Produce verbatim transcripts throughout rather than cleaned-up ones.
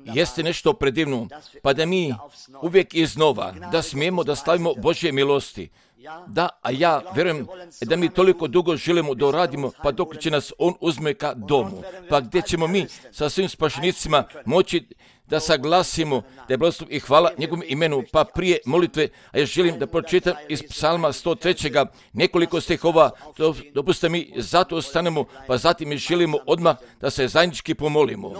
jeste nešto predivno, pa da mi uvijek iznova, da smijemo da slavimo Božje milosti. Da, a ja vjerujem da mi toliko dugo želimo da uradimo, pa dok će nas On uzme ka domu, pa gdje ćemo mi sa svim spašenicima moći da saglasimo da je blagoslov i hvala njegovom imenu, pa prije molitve, a ja želim da pročitam iz psalma sto tri. nekoliko stihova, dopustite mi, zato ostanemo, pa zatim mi želimo odmah da se zajednički pomolimo.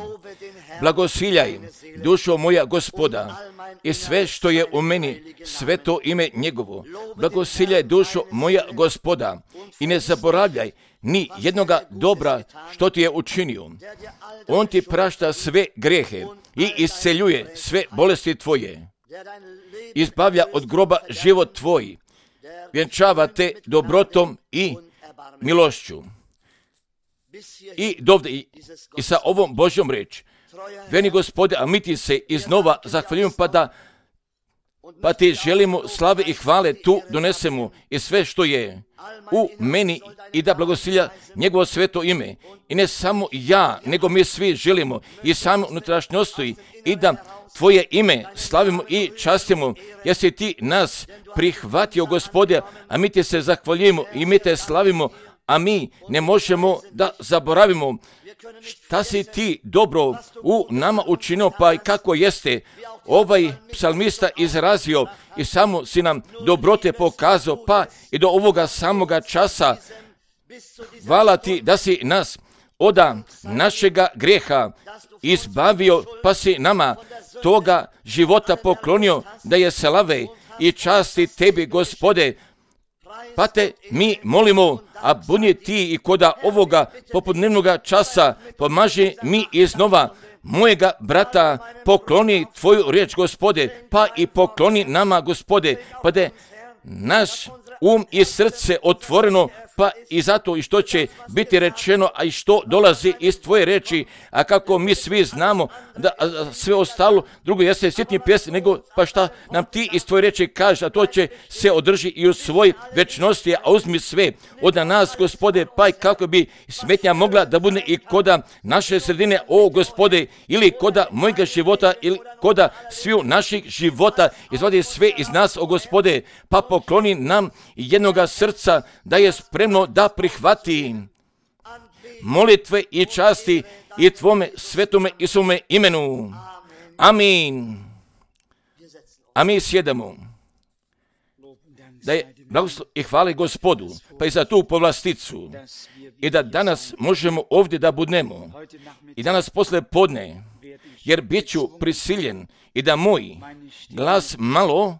Blagosiljaj, dušo moja Gospoda, i sve što je u meni, sve to ime njegovo. Blagosiljaj, dušo moja Gospoda, i ne zaboravljaj ni jednoga dobra što ti je učinio. On ti prašta sve grehe i isceljuje sve bolesti tvoje. Izbavlja od groba život tvoj. Vjenčava te dobrotom i milošću. I dovde, i, i sa ovom Božjom reč. Veni Gospode, a mi ti se iznova zahvaljujemo, pa da pa ti želimo slave i hvale tu donesemo i sve što je u meni i da blagosilja njegovo sveto ime. I ne samo ja, nego mi svi želimo i samo unutrašnjosti i da tvoje ime slavimo i častimo, jer si ti nas prihvatio, Gospode, a mi ti se zahvaljujemo i mi te slavimo, a mi ne možemo da zaboravimo šta si ti dobro u nama učinio, pa i kako jeste ovaj psalmista izrazio i samo si nam dobrote pokazao, pa i do ovoga samoga časa. Hvala ti da si nas od našega grijeha izbavio, pa si nama toga života poklonio, da je slave i časti tebi, Gospode. Pa te mi molimo, a budi ti i koda ovoga popodnevnoga časa pomaži mi iznova mojega brata, pokloni tvoju riječ, Gospode, pa i pokloni nama, Gospode, pa da naš um i srce otvoreno, pa i zato i što će biti rečeno, a i što dolazi iz tvoje reči, a kako mi svi znamo da sve ostalo drugo jeste sitni pjesni, nego pa šta nam ti iz tvoje reči kažeš, a to će se održi i u svoj večnosti, a uzmi sve od nas, Gospode, pa i kako bi smetnja mogla da bude i koda naše sredine, o Gospode, ili koda mojega života, ili koda sviju naših života, izvadi sve iz nas, o Gospode, pa pokloni nam jednoga srca da je spremno da prihvati molitve i časti i tvome svetome i svome imenu. Amin. A mi sjedamo. Da je blagoslov i hvali Gospodu, pa i za tu povlasticu, i da danas možemo ovdje da budnemo, i danas posle podne, jer bit ću prisiljen i da moj glas malo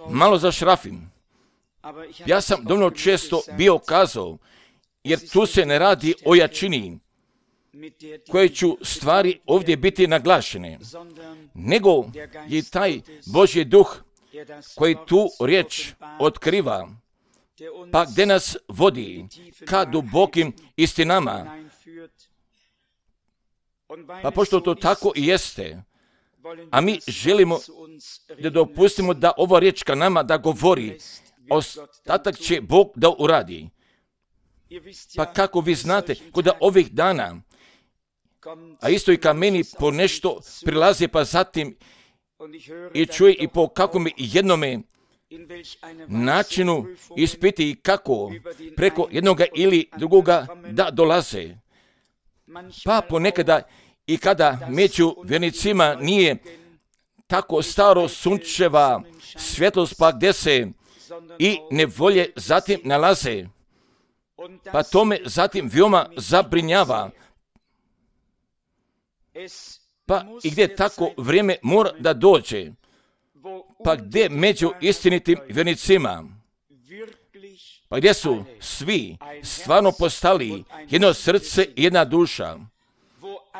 malo zašrafim. Ja sam dovoljno često bio kazao, jer tu se ne radi o jačini, koje ću stvari ovdje biti naglašene, nego je taj Božji duh koji tu riječ otkriva, pa gdje nas vodi ka dubokim istinama. Pa pošto to tako i jeste, a mi želimo da dopustimo da ova riječ ka nama da govori, ostatak će Bog da uradi. Pa kako vi znate, kod ovih dana, a isto i ka meni po nešto prilazi, pa zatim i čuje i po kakvom jednome načinu ispiti i kako preko jednoga ili drugoga da dolaze. Pa ponekada i kada među vjernicima nije tako staro sunčeva svjetlost, pa gdje se i nevolje zatim nalaze, pa to me zatim veoma zabrinjava. Pa i gdje tako vrijeme mora da dođe, pa gdje među istinitim vjernicima, pa gdje su svi stvarno postali jedno srce i jedna duša,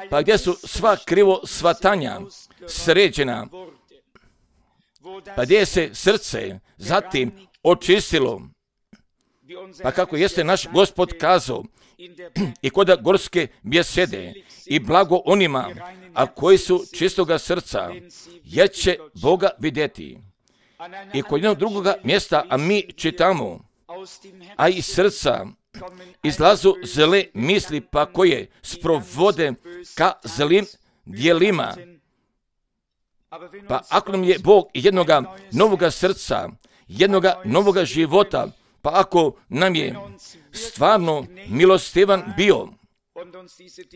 pa gdje su sva krivo shvatanja sređena, pa gdje se srce zatim očistilo, pa kako jeste naš Gospod kazao i kod gorske bjesede, i blago onima, a koji su čistoga srca, jer će Boga vidjeti. I kod jednog drugoga mjesta, a mi čitamo, a iz srca izlazu zle misli, pa koje sprovode ka zlim dijelima. Pa ako nam je Bog jednoga novoga srca, jednoga novoga života, pa ako nam je stvarno milostivan bio,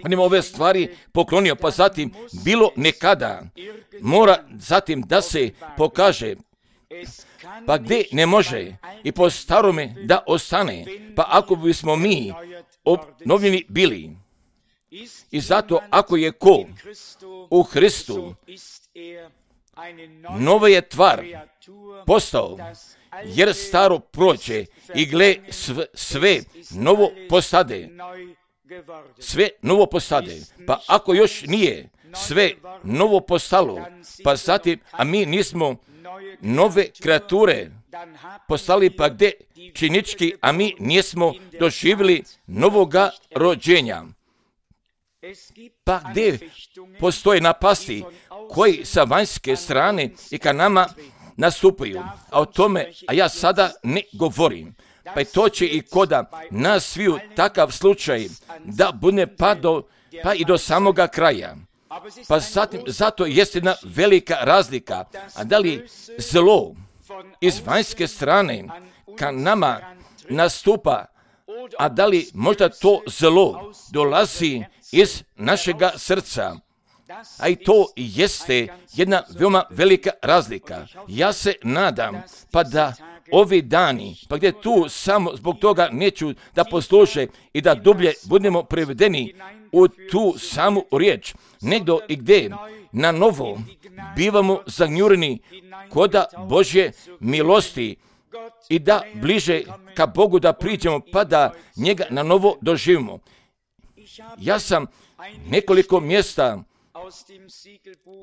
pa nam ove stvari poklonio, pa zatim bilo nekada mora zatim da se pokaže, pa gdje ne može i po starome da ostane, pa ako bismo mi obnovljeni bili. I zato ako je ko u Hristu, nova je tvar postao, jer staro prođe i gle sve, sve novo postade. Sve novo postade. Pa ako još nije sve novo postalo, pa zatim, a mi nismo nove kreature postali, pa gdje činički, a mi nismo doživjeli novoga rođenja. Pa gdje postoje napasti koji sa vanjske strane i ka nama nastupaju. A o tome, a ja sada ne govorim. Pa to će i koda nas sviju takav slučaj da bude pa, do, pa i do samoga kraja. Pa zatim, zato jest jedna velika razlika. A da li zlo iz vanjske strane ka nama nastupa, a da li možda to zlo dolazi iz našega srca. A i to jeste jedna veoma velika razlika. Ja se nadam pa da ovi dani, pa gdje tu samo zbog toga neću da posluše i da dublje budemo prevedeni u tu samu riječ, nego i gdje na novo bivamo zagnjureni koda Božje milosti i da bliže ka Bogu da priđemo pa da njega na novo doživimo. Ja sam nekoliko mjesta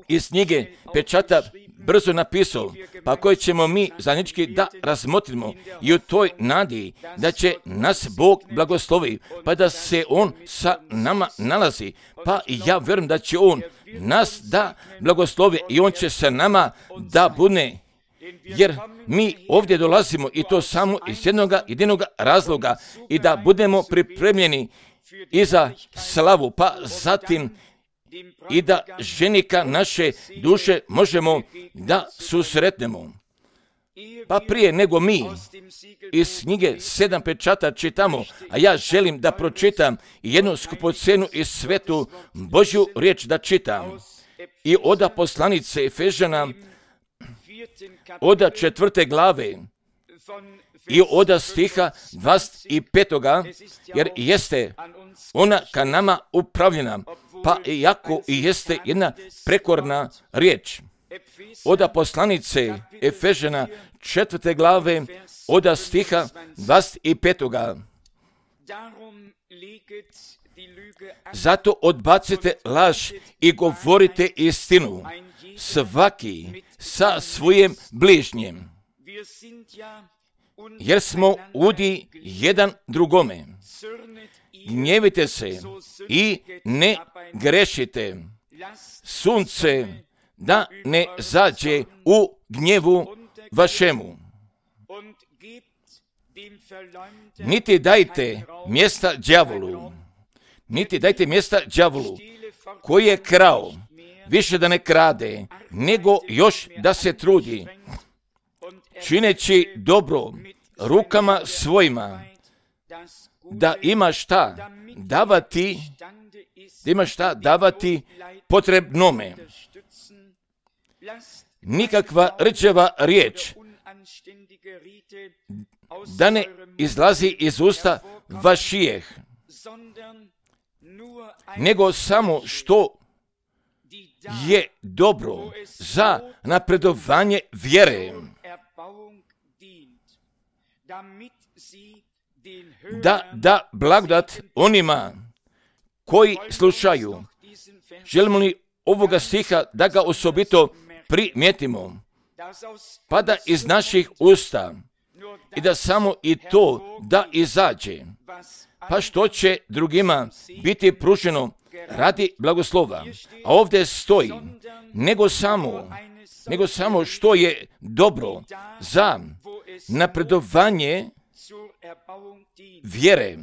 iz knjige pečata brzo napisao, pa koje ćemo mi zajednički da razmotrimo i u toj nadi da će nas Bog blagoslovi, pa da se On sa nama nalazi, pa ja vjerujem da će On nas da blagoslovi i On će sa nama da bude, jer mi ovdje dolazimo i to samo iz jednog jedinog razloga i da budemo pripremljeni i za slavu, pa zatim i da ženika naše duše možemo da susretnemo. Pa prije nego mi iz knjige sedam pečata čitamo, a ja želim da pročitam jednu skupocenu iz svetu Božju riječ da čitam. I oda poslanice Efežana, oda četvrte glave, i oda stiha dvadeset petoga, jer jeste ona ka nama upravljena, pa iako i jeste jedna prekorna riječ. Oda poslanice Efežana četvrte glave, oda stiha dvadeset petoga. Zato odbacite laž i govorite istinu, svaki sa svojim bližnjem, jer smo udi jedan drugome. Gnjevite se i ne grešite. Sunce da ne zađe u gnjevu vašemu. Niti dajte mjesta đavolu, niti dajte mjesta đavolu koji je krao, više da ne krade, nego još da se trudi, čineći dobro rukama svojima, da ima šta davati, da ima šta davati potrebnome. Nikakva rđava riječ da ne izlazi iz usta vašijeh, nego samo što je dobro za napredovanje vjere, da da blagodat onima koji slušaju. Želimo li ovoga stiha da ga osobito primijetimo, pa da iz naših usta i da samo i to da izađe, pa što će drugima biti pruženo radi blagoslova. A ovdje stoji, nego samo, nego samo što je dobro za napredovanje vjere,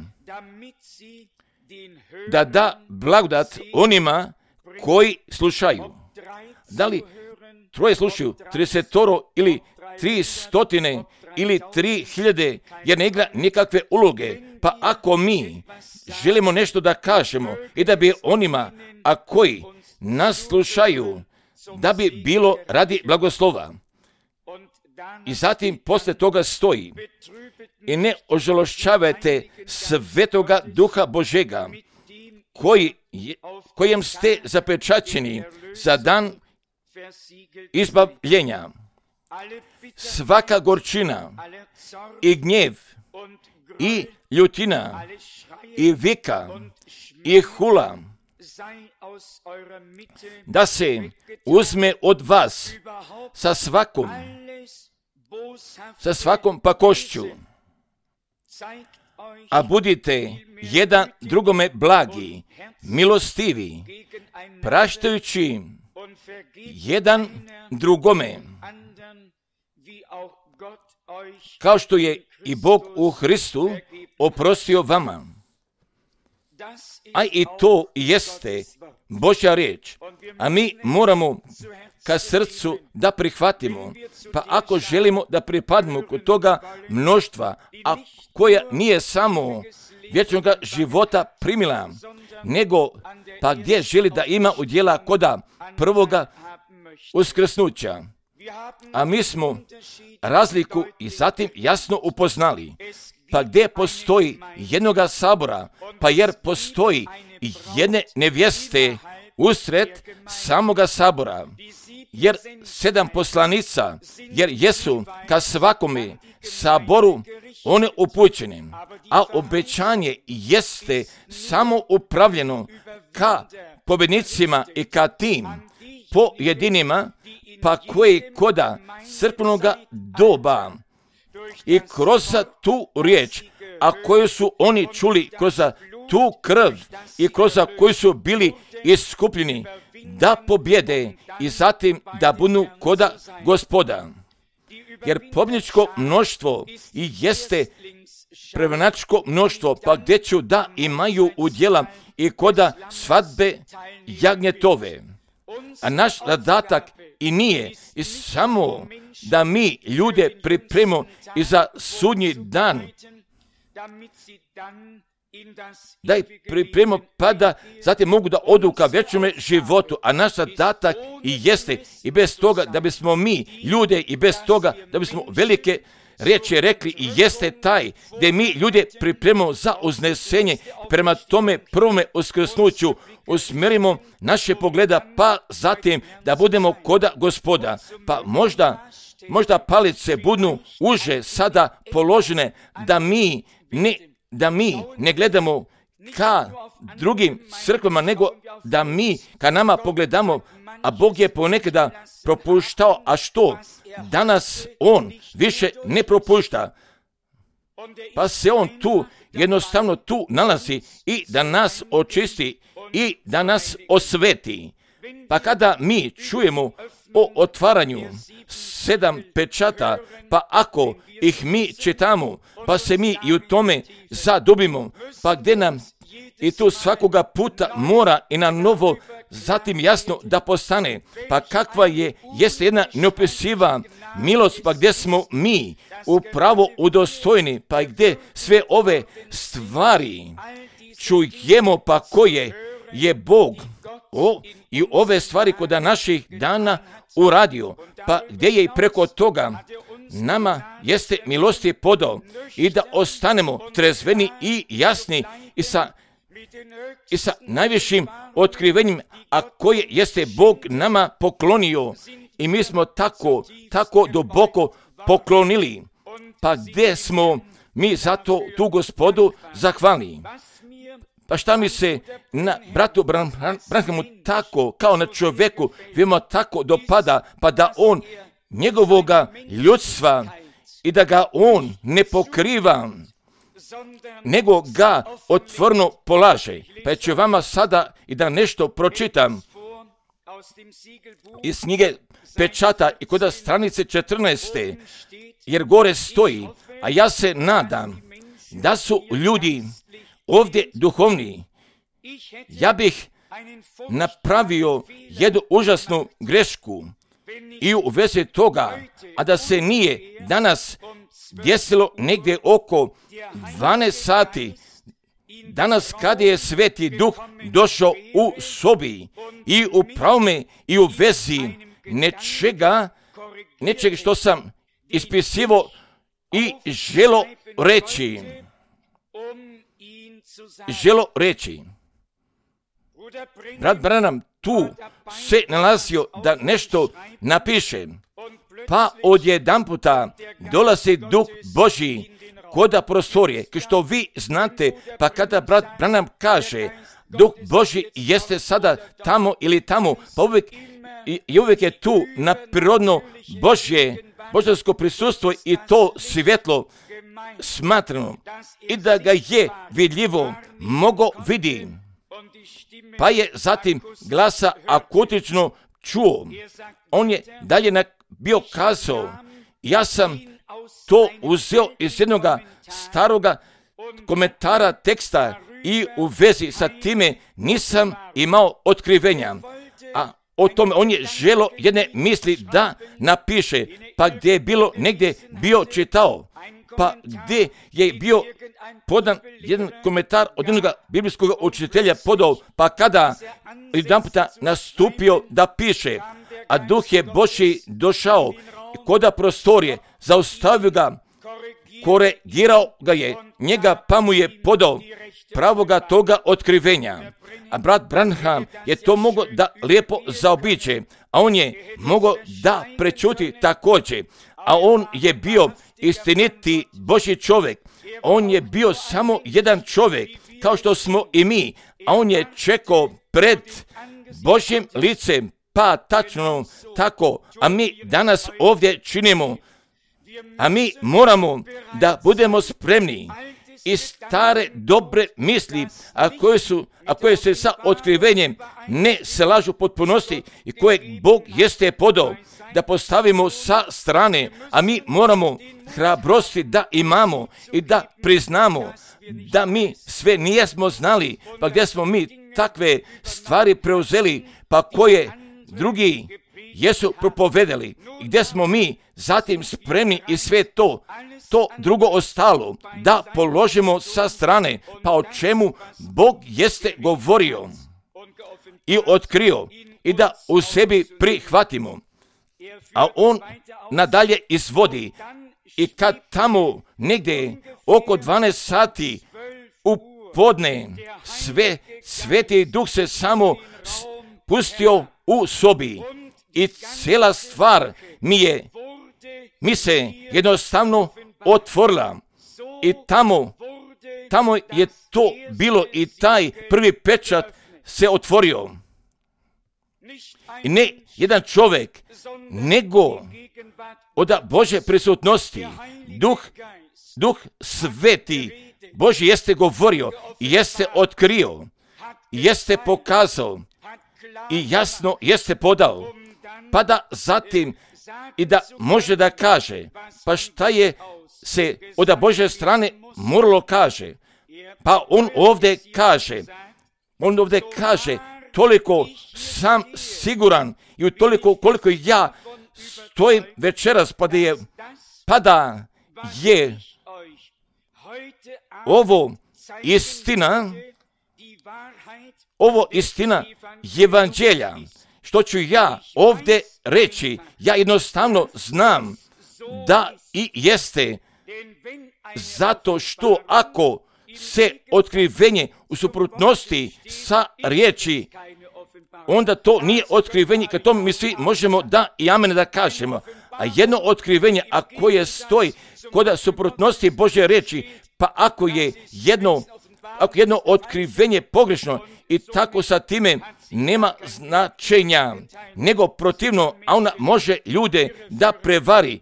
da da blagodat onima koji slušaju. Da li troje slušaju, tridesetoro ili tri stotine ili tri hiljade, jer ne igra nikakve uloge. Pa ako mi želimo nešto da kažemo i da bi onima, a koji nas slušaju, da bi bilo radi blagoslova. I zatim posle toga stoji: i ne ožalošćavajte Svetoga Duha Božega, koji je, kojem ste zapečaćeni za dan izbavljenja. Svaka gorčina i gnjev i ljutina i vika i hula da se uzme od vas sa svakom sa svakom pakošću, a budite jedan drugome blagi, milostivi, praštajući jedan drugome, kao što je i Bog u Hristu oprostio vama. A i to jeste Božja riječ, a mi moramo ka srcu da prihvatimo. Pa ako želimo da pripadnemo kod toga mnoštva, a koja nije samo vječnog života primila, nego pa gdje želi da ima udjela koda prvoga uskrsnuća. A mi smo razliku i zatim jasno upoznali. Pa gdje postoji jednoga sabora, pa jer postoji jedne nevjeste usred samoga sabora, jer sedam poslanica, jer jesu ka svakome saboru one upućene, a obećanje jeste samo upravljeno ka pobjednicima i ka tim pojedinima, pa koji koda crkvenoga doba i kroz tu riječ, a koju su oni čuli kroz tu krv i kroz koju su bili iskupljeni, da pobjede i zatim da budu koda Gospoda. Jer pobjedničko mnoštvo i jeste prevenačko mnoštvo, pa gdje ću da imaju udjela i koda svadbe jagnjetove. A naš zadatak i nije i samo da mi ljude pripremimo i za sudnji dan, da ih pripremimo pa da zatim mogu da odu ka vječnome životu, a naš zadatak i jeste i bez toga da bismo mi ljude i bez toga da bismo velike riječi rekli i jeste taj gdje mi ljude pripremimo za uznesenje, prema tome prvome uskrsnuću usmjerimo naše pogleda, pa zatim da budemo koda Gospoda. Pa možda, možda palice budu uže sada položene, da mi ne, da mi ne gledamo ka drugim crkvama, nego da mi ka nama pogledamo, a Bog je ponekada propuštao, a što? Danas On više ne propušta, pa se On tu, jednostavno tu nalazi i da nas očisti i da nas osveti. Pa kada mi čujemo o otvaranju sedam pečata, pa ako ih mi čitamo, pa se mi i u tome zadubimo, pa gdje nam i tu svakoga puta mora i na novo zatim jasno da postane, pa kakva je, jeste jedna neopisiva milost, pa gdje smo mi upravo udostojni, pa gdje sve ove stvari čujemo, pa koje je Bog o, i ove stvari kod naših dana uradio, pa gdje je i preko toga nama jeste milosti podao i da ostanemo trezveni i jasni i sa i sa najvišim otkrivenjem, a koje jeste Bog nama poklonio i mi smo tako, tako duboko poklonili. Pa gdje smo mi zato tu Gospodu zahvalni? Pa šta mi se na bratu Branhamu tako, kao na čovjeku, vimo tako dopada, pa da on njegovoga ljudstva i da ga on ne pokriva, nego ga otvorno polaže. Pa ću vama sada i da nešto pročitam iz knjige Pečata i kod stranice četrnaeste, jer gore stoji, a ja se nadam da su ljudi ovdje duhovni, ja bih napravio jednu užasnu grešku i u vezi toga, a da se nije danas desilo negdje oko dvanaest sati, danas kad je Sveti Duh došao u sobi i u pravome i u vezi nečega, nečega što sam ispisivo i želo reći, želo reći. Brat Branham tu se nalazio da nešto napiše, pa odjedanputa dolazi Duh Božji koda prostorije, kao što vi znate, pa kada brat Branham kaže, Duh Božji jeste sada tamo ili tamo, pa uvijek, i, i uvijek je tu na prirodno Božje, božansko prisustvo i to svjetlo smatrano i da ga je vidljivo mogo vidi. Pa je zatim glasa akutično čuo. On je dalje bio kazao, ja sam to uzeo iz jednog staroga komentara teksta i u vezi sa time nisam imao otkrivenja. A o tome on je želo jedne misli da napiše, pa gdje je bilo negdje bio čitao, pa gdje je bio podan jedan komentar od jednog biblijskog učitelja podao, pa kada jedan puta nastupio da piše, a Duh je Božji došao koda prostorije, zaustavio ga, korigirao ga je, njega pa mu je podao pravoga toga otkrivenja. A brat Branham je to mogao da lijepo zaobiđe, a on je mogao da prečuti također, a on je bio istiniti Božji čovjek. On je bio samo jedan čovjek, kao što smo i mi, a on je čekao pred Božjim licem, pa tačno tako, a mi danas ovdje činimo, a mi moramo da budemo spremni i stare dobre misli, a koje, su, a koje se sa otkrivenjem ne se lažu potpunosti i koje Bog jeste podao, da postavimo sa strane, a mi moramo hrabrosti da imamo i da priznamo da mi sve nijesmo znali, pa gdje smo mi takve stvari preuzeli, pa koje drugi jesu propovedali i gdje smo mi zatim spremni i sve to, to drugo ostalo, da položimo sa strane, pa o čemu Bog jeste govorio i otkrio i da u sebi prihvatimo. A on nadalje izvodi i kad tamo negdje oko dvanaest sati u podne sve, Sveti Duh se samo pustio u sobi i cijela stvar mi je, mi se jednostavno otvorila i tamo, tamo je to bilo i taj prvi pečat se otvorio. I ne jedan čovjek, nego od Božje prisutnosti, Duh, Duh Sveti Božji jeste govorio i jeste otkrio, i jeste pokazao i jasno jeste podao, pa da zatim i da može da kaže, pa šta je se od Božje strane moralo kaže, pa on ovdje kaže, on ovdje kaže, toliko sam siguran i toliko koliko ja stojim večeras, pa da je, pa da je ovo istina, ovo istina evanđelja, što ću ja ovdje reći, ja jednostavno znam da i jeste, zato što ako se otkrivenje u suprotnosti sa riječi, onda to nije otkrivenje, kad to mi svi možemo da i amen da kažemo. A jedno otkrivenje, a koje stoji kod suprotnosti Božje riječi, pa ako je jedno, ako jedno otkrivenje pogrešno i tako sa time nema značenja, nego protivno, a ona može ljude da prevari.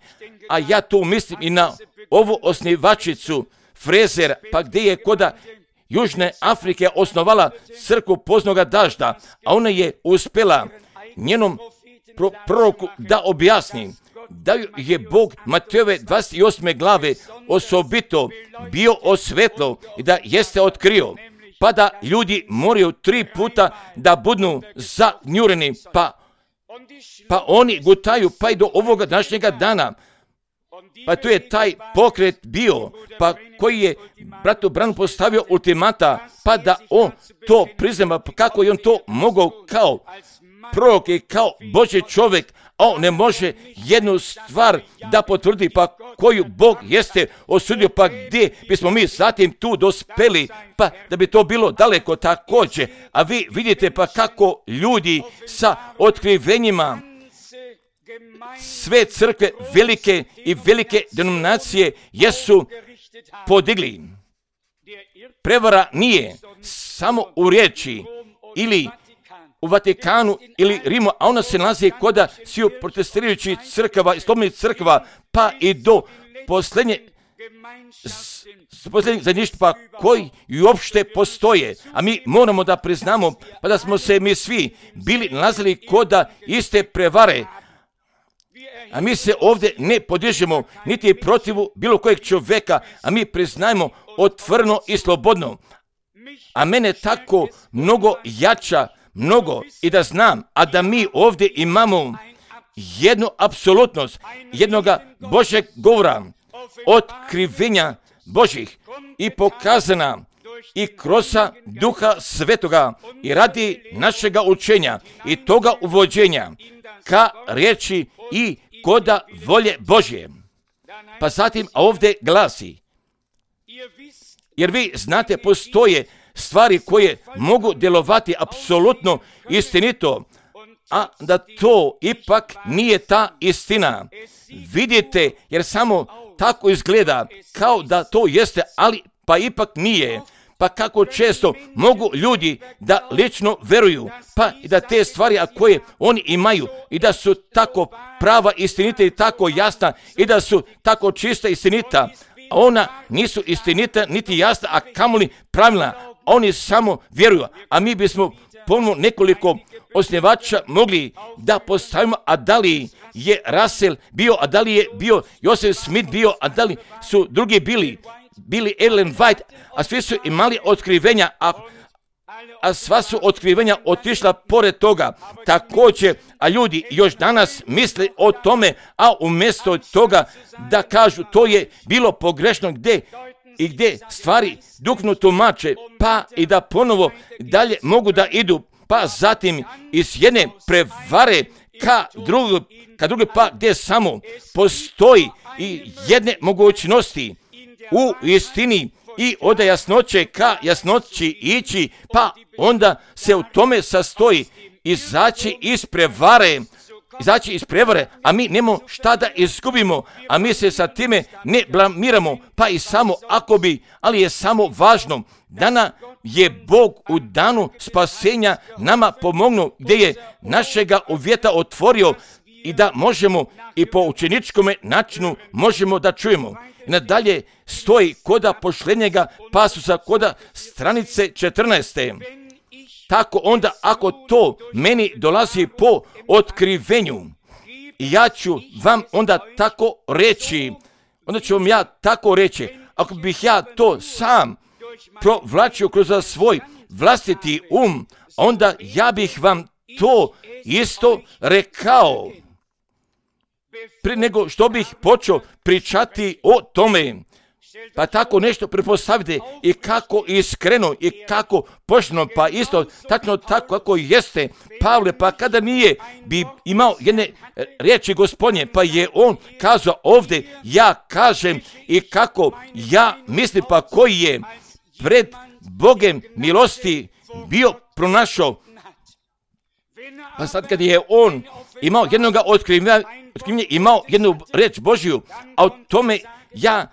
A ja tu mislim i na ovu osnivačicu Frezer, pa gdje je koda Južne Afrike osnovala crkvu poznoga dažda, a ona je uspjela njenom pro- proroku da objasni da je Bog Matejove dvadeset osme glave osobito bio osvetlo i da jeste otkrio, pa da ljudi moraju tri puta da budu zagnjureni, pa, pa oni gutaju pa i do ovoga današnjega dana. Pa tu je taj pokret bio, pa koji je bratu Branham postavio ultimata, pa da on to priznama, pa kako je on to mogao kao prorok i kao Božji čovjek, a on ne može jednu stvar da potvrdi, pa koju Bog jeste osudio, pa gdje bismo mi zatim tu dospeli, pa da bi to bilo daleko također. A vi vidite pa kako ljudi sa otkrivenjima sve crkve velike i velike denominacije jesu podigli. Prevara nije samo u riječi ili u Vatikanu ili Rimu, a ona se nalazi koda sviju protestirajućih crkava i slobodnih crkava, pa i do posljednje posljednjih zajedništva koji i uopšte postoje. A mi moramo da priznamo pa da smo se mi svi bili nalazili koda iste prevare. A mi se ovdje ne podižemo niti protivu bilo kojeg čovjeka, a mi priznajemo otvoreno i slobodno. A mene tako mnogo jača, mnogo i da znam, a da mi ovdje imamo jednu apsolutnost, jednoga Božjeg govora, otkrivenja Božjih i pokazana i kroz Duha Svetoga i radi našega učenja i toga uvođenja ka riječi i koda volje Božje. Pa zatim ovdje glasi, jer vi znate postoje stvari koje mogu djelovati apsolutno istinito, a da to ipak nije ta istina. Vidite, jer samo tako izgleda kao da to jeste, ali pa ipak nije. Pa kako često mogu ljudi da lično veruju, pa i da te stvari a koje oni imaju i da su tako prava, istinita i tako jasna i da su tako čista i istinita, a ona nisu istinita niti jasna, a kamoli pravilna. Oni samo vjeruju, a mi bismo ponovno nekoliko osnivača mogli da postavimo, a da li je Russell bio, a da li je bio Joseph Smith bio, a da li su drugi bili, bili Ellen White, a svi su imali otkrivenja, a, a sva su otkrivenja otišla pored toga. Također, a ljudi još danas misle o tome, a umjesto toga da kažu to je bilo pogrešno gdje i gdje stvari duknu tumače, pa i da ponovo dalje mogu da idu, pa zatim iz jedne prevare ka drugu, ka druge, pa gdje samo postoji i jedne mogućnosti u istini i od jasnoće ka jasnoći ići, pa onda se u tome sastoji izaći iz prevare, izaći iz prevare, a mi nemamo šta da izgubimo, a mi se sa time ne blamiramo, pa i samo ako bi, ali je samo važno da nam je Bog u danu spasenja nama pomognuo, gdje je našega uvjeta otvorio i da možemo i po učeničkome načinu možemo da čujemo. I nadalje stoji koda pošljenjega pasusa, koda stranice četrnaeste. Tako onda ako to meni dolazi po otkrivenju, ja ću vam onda tako reći, onda ću vam ja tako reći, ako bih ja to sam provlačio kroz svoj vlastiti um, onda ja bih vam to isto rekao. Prije nego što bih počeo pričati o tome, pa tako nešto pretpostavite i kako iskreno i kako pošteno, pa isto tačno tako kako jeste Pavle, pa kada nije bi imao jedne riječi Gospodnje, pa je on kazao ovdje, ja kažem i kako ja mislim, pa koji je pred Bogem milosti bio pronašao. Pa sad kad je on imao jednog otkrivenja, imao jednu reč Božju, a o tome ja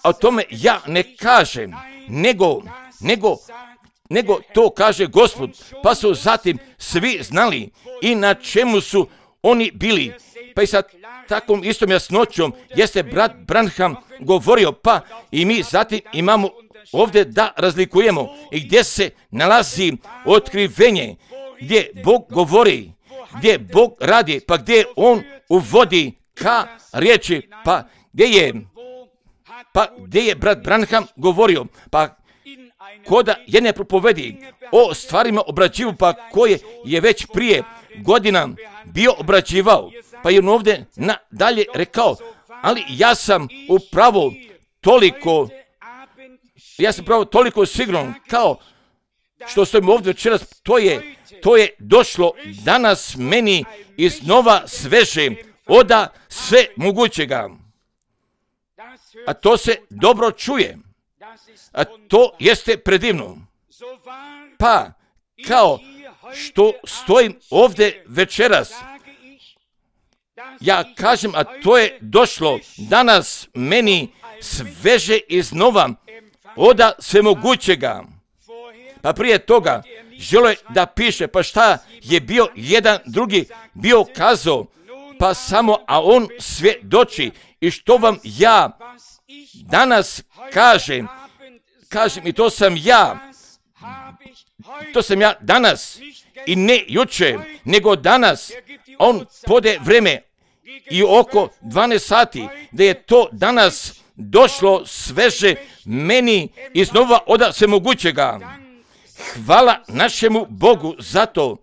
A o tome ja ne kažem, nego, nego, nego to kaže Gospod. Pa su zatim svi znali i na čemu su oni bili. Pa i sa takvom istom jasnoćom jeste brat Branham govorio, pa i mi zatim imamo ovdje da razlikujemo i gdje se nalazi otkrivenje, gdje Bog govori, gdje Bog radi, pa gdje On uvodi ka riječi, pa gdje je, pa gdje je brat Branham govorio, pa koda jedne propovedi o stvarima obrađivu, pa koje je već prije godina bio obrađivao, pa je on ovdje nadalje rekao, ali ja sam upravo toliko, ja sam upravo toliko siguran, kao što stojim ovdje večeras, to je, to je došlo danas meni iznova sveže oda sve mogućega. A to se dobro čuje. A to jeste predivno. Pa, kao što stojim ovdje večeras, ja kažem, a to je došlo danas meni sveže iznova oda svemogućega. Pa prije toga želo je da piše, pa šta je bio jedan drugi bio kazao, pa samo, a on svjedoči. I što vam ja danas kažem, kažem i to sam ja, to sam ja danas i ne juče, nego danas. On pode vreme i oko dvanaest sati, da je to danas došlo sveže meni iznova oda svemogućega. Hvala našemu Bogu za to,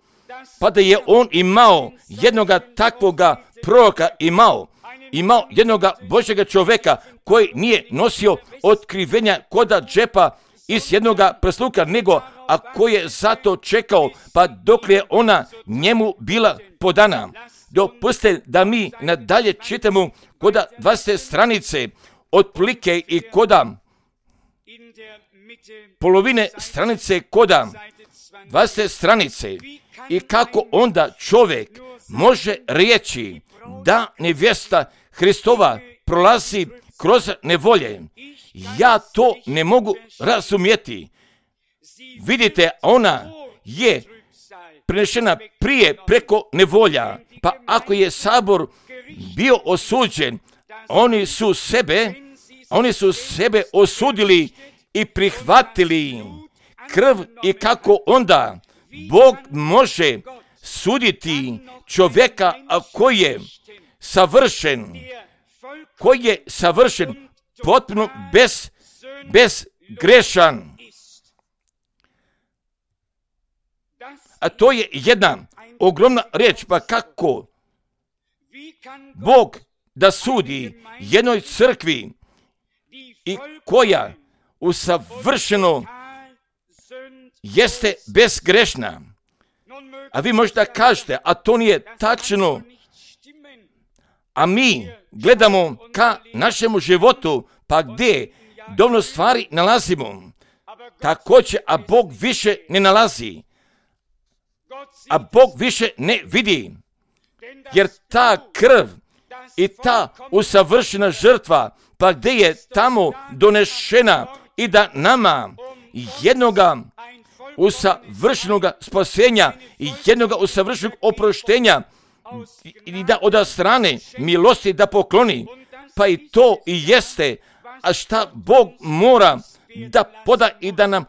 pa da je on imao jednoga takvoga proroka, imao, imao jednoga Božjega čovjeka koji nije nosio otkrivenja koda džepa iz jednoga prsluka, nego a koji je zato čekao, pa dok je ona njemu bila podana. Dopustite da mi nadalje čitamo koda dvadeset stranice, otprilike i koda polovine stranice koda dvadeset stranice, i kako onda čovjek može reći da nevjesta Hristova prolazi kroz nevolje. Ja to ne mogu razumjeti. Vidite, ona je prenešena prije preko nevolja, pa ako je sabor bio osuđen, oni su sebe, oni su sebe osudili i prihvatili krv, i kako onda Bog može suditi čovjeka koji je savršen, koji je savršen, potpuno bez, bezgrešan. A to je jedna ogromna riječ, pa kako Bog da sudi jednoj crkvi i koja usavršeno jeste bezgrešna. A vi možete kažete, a to nije tačno. A mi gledamo ka našemu životu, pa gdje dovoljno stvari nalazimo. Također, a Bog više ne nalazi. A Bog više ne vidi. Jer ta krv i ta usavršena žrtva, pa gdje je tamo donešena i da nama jednoga usavršenoga spasenja i jednoga usavršenog oproštenja i da od strane milosti da pokloni, pa i to i jeste, a šta Bog mora da poda i da nam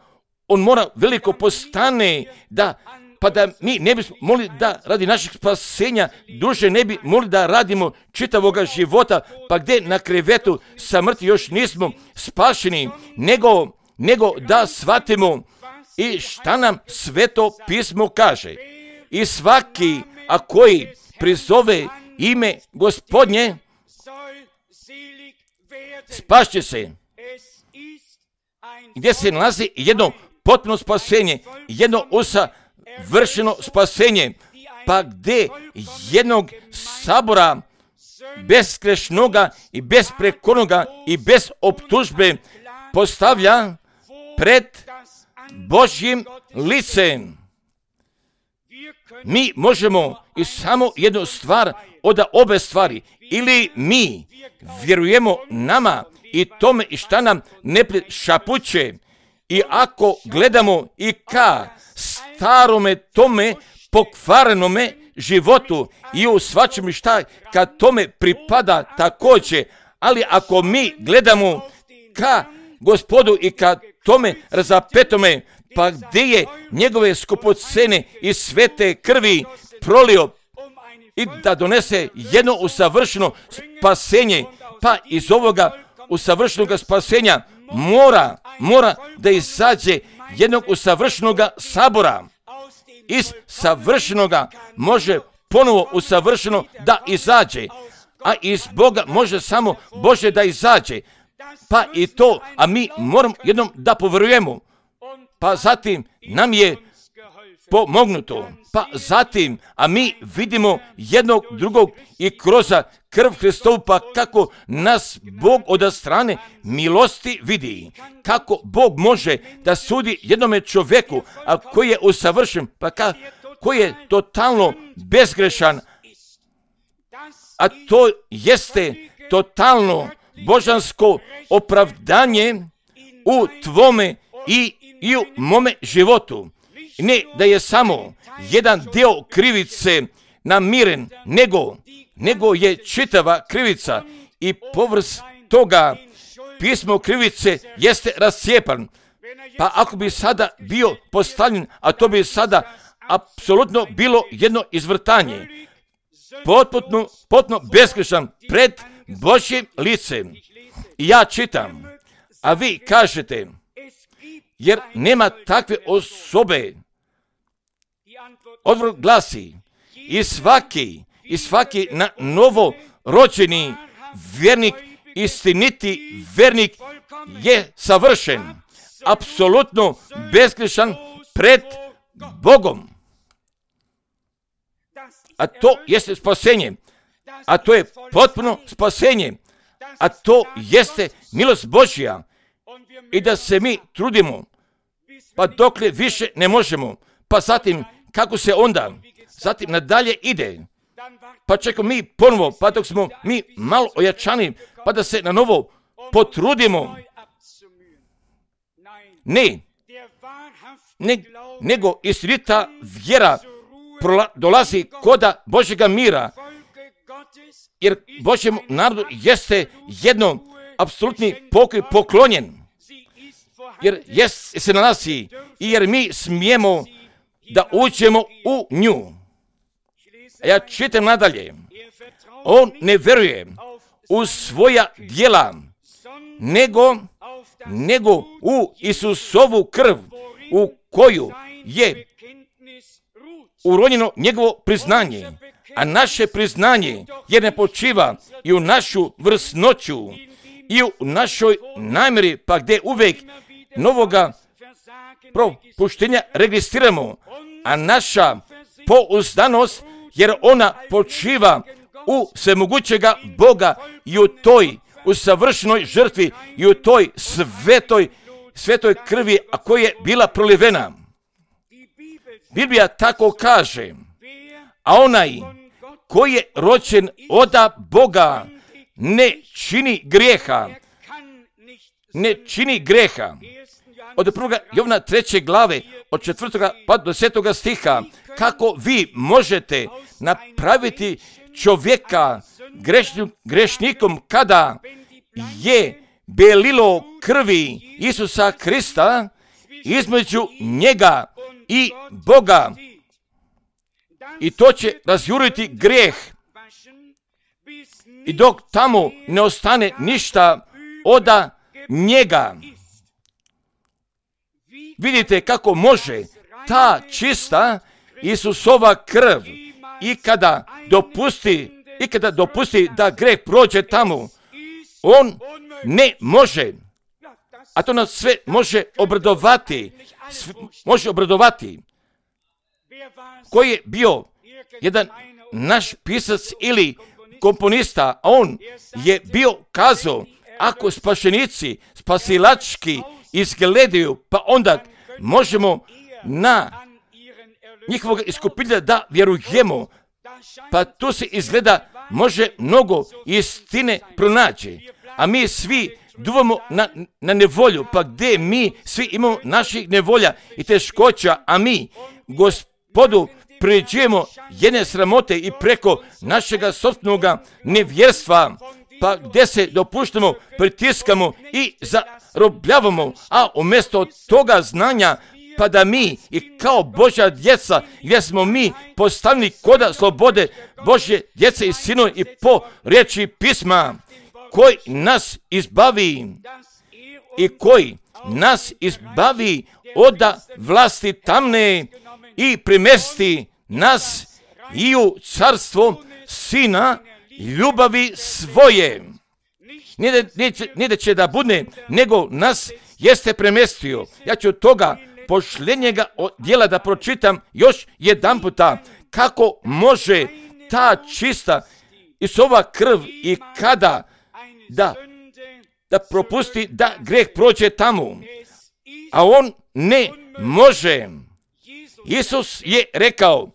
on mora veliko postane, da pa da mi ne bismo mogli da radi našeg spasenja duže ne bi mogli da radimo čitavoga života, pa gdje na krevetu smrti još nismo spašeni, nego, nego da shvatimo i šta nam Sveto pismo kaže. I svaki, a koji prizove ime Gospodnje, spašće se. Gdje se nalazi jedno potpuno spasenje, jedno usavršeno spasenje, pa gdje jednog sabora bezgrešnoga i bezprekornoga i bez optužbe postavlja pred Božjim licem. Mi možemo i samo jednu stvar od obe stvari. Ili mi vjerujemo nama i tome i šta nam neprijatelj šapuće, i ako gledamo i ka starome tome pokvarenome životu i u svačem šta kad tome pripada također, ali ako mi gledamo ka Gospodu i ka tome razapetome, pa gdje je njegove skupocene i svete krvi prolio, i da donese jedno usavršeno spasenje, pa iz ovoga usavršenog spasenja mora, mora da izađe jednog usavršenog sabora. Iz savršenoga može ponovo usavršeno da izađe, a iz Boga može samo Bože da izađe. Pa i to, a mi moramo jednom da povjerujemo. Pa zatim nam je pomognuto. Pa zatim, a mi vidimo jednog drugog i kroz krv Hristovu, pa kako nas Bog od strane milosti vidi. Kako Bog može da sudi jednome čovjeku, a koji je usavršen, pa ka, koji je totalno bezgrešan, a to jeste totalno božansko opravdanje u tvome i, i u mome životu. Ne da je samo jedan dio krivice namiren, nego, nego je čitava krivica i povrh toga pismo krivice jeste rascijepan. Pa ako bi sada bio postavljen, a to bi sada apsolutno bilo jedno izvrtanje, potpuno, potpuno besgrešan pred Božjim licem. I ja čitam, a vi kažete, jer nema takve osobe. Odgovor glasi, i svaki, i svaki na novo rođeni vjernik, istiniti vjernik je savršen, apsolutno bezgrešan pred Bogom. A to jeste spasenje, a to je potpuno spasenje, a to jeste milost Božja. I da se mi trudimo, pa dokle više ne možemo, pa zatim kako se onda, zatim nadalje ide, pa čekamo mi ponovo, pa dok smo mi malo ojačani, pa da se na novo potrudimo. Ne, ne nego istinita vjera prola, dolazi koda Božjega mira, jer Božjem narodu jeste jedno apsolutni pokoj poklonjen, jer jest, se nalazi i jer mi smijemo da uđemo u nju. A ja čitam nadalje. On ne vjeruje u svoja djela, nego, nego u Isusovu krv, u koju je uronjeno njegovo priznanje. A naše priznanje jer ne počiva i u našu vrsnoću i u našoj namjeri, pa gdje uvijek novoga propuštenja registriramo, a naša pouzdanost, jer ona počiva u svemogućega Boga i u toj u savršenoj žrtvi i u toj svetoj, svetoj krvi, a koja je bila prolivena. Biblija tako kaže, a onaj koji je rođen od Boga ne čini grijeha, ne čini grijeha. Od prvoga Jovana treće glave, od četvrtoga pa do desetoga stiha, kako vi možete napraviti čovjeka grešnim, grešnikom kada je belilo krvi Isusa Krista između njega i Boga. I to će razjuriti grijeh. I dok tamo ne ostane ništa od njega. Vidite kako može ta čista Isusova krv i kada dopusti, i kada dopusti da grijeh prođe tamo, on ne može. A to nas sve može obradovati. Sve može obradovati. Koji je bio jedan naš pisac ili komponista, a on je bio kazao, ako spašenici spasilački izgledaju, pa onda možemo na njihovog iskupitelja da vjerujemo. Pa tu se izgleda može mnogo istine pronaći. A mi svi duvamo na, na nevolju, pa gdje mi svi imamo naših nevolja i teškoća, a mi Gospodu prijeđujemo jedne sramote i preko našega sopstvenog nevjerstva, pa gdje se dopuštamo, pritiskamo i zarobljavamo, a umjesto toga znanja pa da mi i kao Božja djeca, gdje smo mi postavljeni koda slobode Božje djece i sinovi i po riječi pisma, koji nas izbavi i koji nas izbavi od vlasti tamne i primesti nas i u carstvo Sina ljubavi svoje. Nije da će da bude, nego nas jeste premestio. Ja ću toga pošljenjega dijela da pročitam još jedan puta, kako može ta čista Isova krv i kada da, da propusti da greh prođe tamo, a on ne može. Isus je rekao,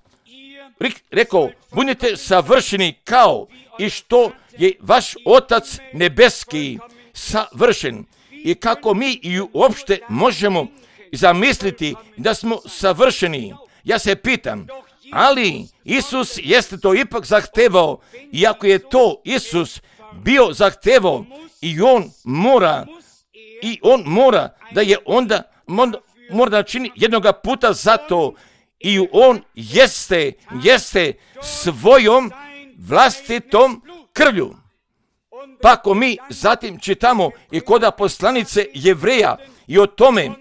rekao, budite savršeni kao i što je vaš Otac nebeski savršen. I kako mi i uopšte možemo zamisliti da smo savršeni. Ja se pitam, ali Isus jeste to ipak zahtevao, i ako je to Isus bio zahtevao, i on mora, i on mora da je onda, mora da čini jednoga puta za to, i on jeste, jeste svojom vlastitom krvlju. Pa ako mi zatim čitamo i koda poslanice Jevreja i o tome,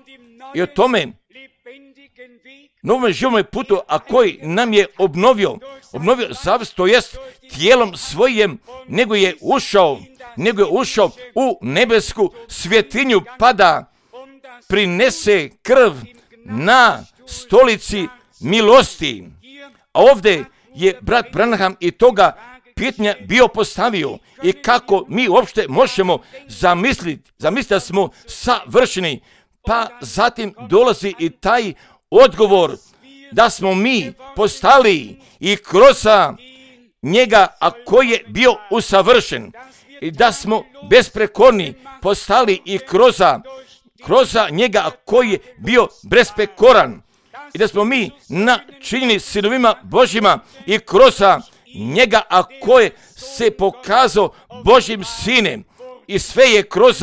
i o tome novom živome putu, a koji nam je obnovio, obnovio zavist, to jest tijelom svojim, nego je ušao, nego je ušao u nebesku svjetinju, pa da prinese krv na stolici milosti. A ovdje je brat Branham i toga pitanja bio postavio, i kako mi uopšte možemo zamisliti, zamisliti da smo savršeni. Pa zatim dolazi i taj odgovor da smo mi postali i kroz njega, a koji je bio usavršen, i da smo besprekorni postali i kroz, kroz njega, a koji je bio besprekoran, i da smo mi načinjeni sinovima Božjima i kroz njega, a koje se pokazao Božjim sinem, i sve je kroz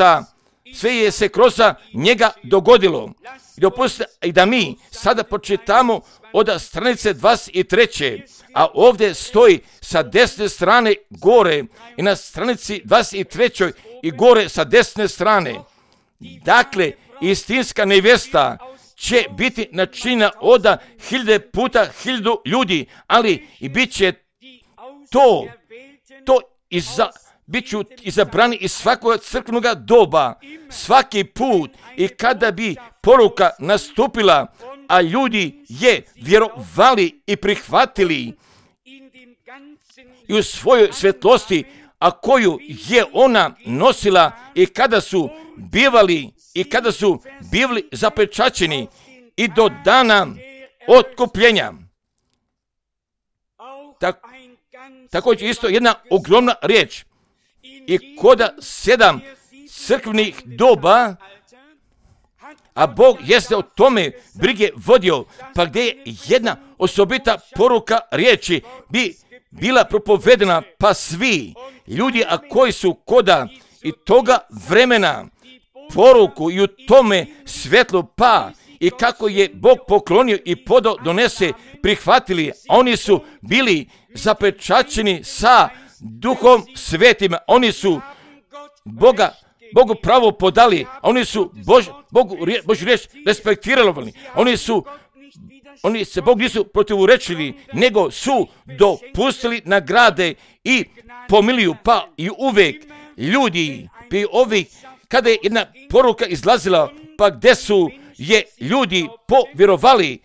sve je se kroz njega dogodilo. I dopustite i da mi sada počitamo od stranice dvadeset treće, a ovdje stoji sa desne strane gore, i na stranici dvadeset trećoj i gore sa desne strane. Dakle, istinska nevjesta će biti načinjena od hiljade puta hiljadu ljudi, ali i bit će to, to iza, bit ću izabrani iz svakog crkvenog doba, svaki put, i kada bi poruka nastupila, a ljudi je vjerovali i prihvatili i u svojoj svjetlosti, a koju je ona nosila, i kada su bivali i kada su bili zapečaćeni i do dana otkupljenja. Tak, također isto jedna ogromna riječ. I koda sedam crkvenih doba, a Bog jeste o tome brige vodio, pa gdje je jedna osobita poruka riječi bi bila propovedena, pa svi ljudi, a koji su koda i toga vremena poruku i u tome svjetlu, pa i kako je Bog poklonio i podao donese, prihvatili, a oni su bili zapečaćeni sa Duhom Svetim, oni su Boga, Bogu pravo podali, a oni su Bož, Bogu, Božju riječ respektirali, oni su, oni se Bog nisu protivurečili, nego su dopustili nagrade i pomiliju, pa i uvijek ljudi, bi ovih, kada je jedna poruka izlazila, pa gdje su je ljudi povjerovali,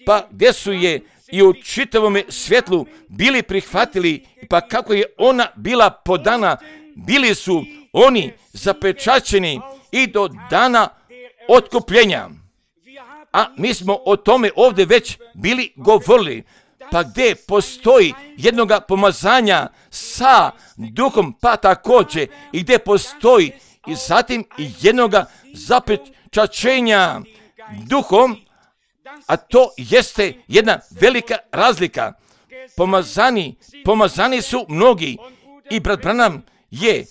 pa gdje su je i u čitavom svjetlu bili prihvatili, pa kako je ona bila podana, bili su oni zapečaćeni i do dana otkupljenja. A mi smo o tome ovdje već bili govorili, pa gdje postoji jednoga pomazanja sa Duhom, pa također i gdje postoji i zatim i jednoga zapečaćenja Duhom, a to jeste jedna velika razlika. Pomazani, pomazani su mnogi, i brat Branham je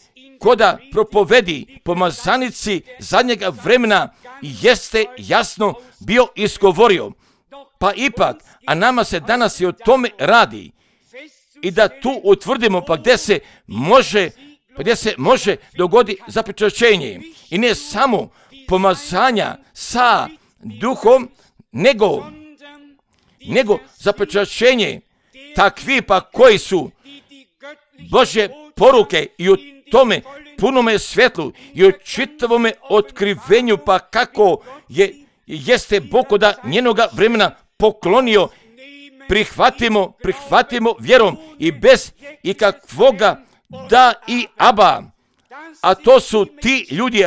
koda propovedi pomazanici zadnjega vremena jeste jasno bio izgovorio. Pa ipak, a nama se danas i o tome radi. I da tu utvrdimo pa gdje se može, pa gdje se može dogodi zapečaćenje. I ne samo pomazanja sa duhom, nego, nego zapečaćenje takvi pa koji su Božje poruke i u tome punome svjetlu i u čitavome otkrivenju pa kako je, jeste Bog od njenoga vremena poklonio, prihvatimo, prihvatimo vjerom i bez ikakvoga da i aba. A to su ti ljudi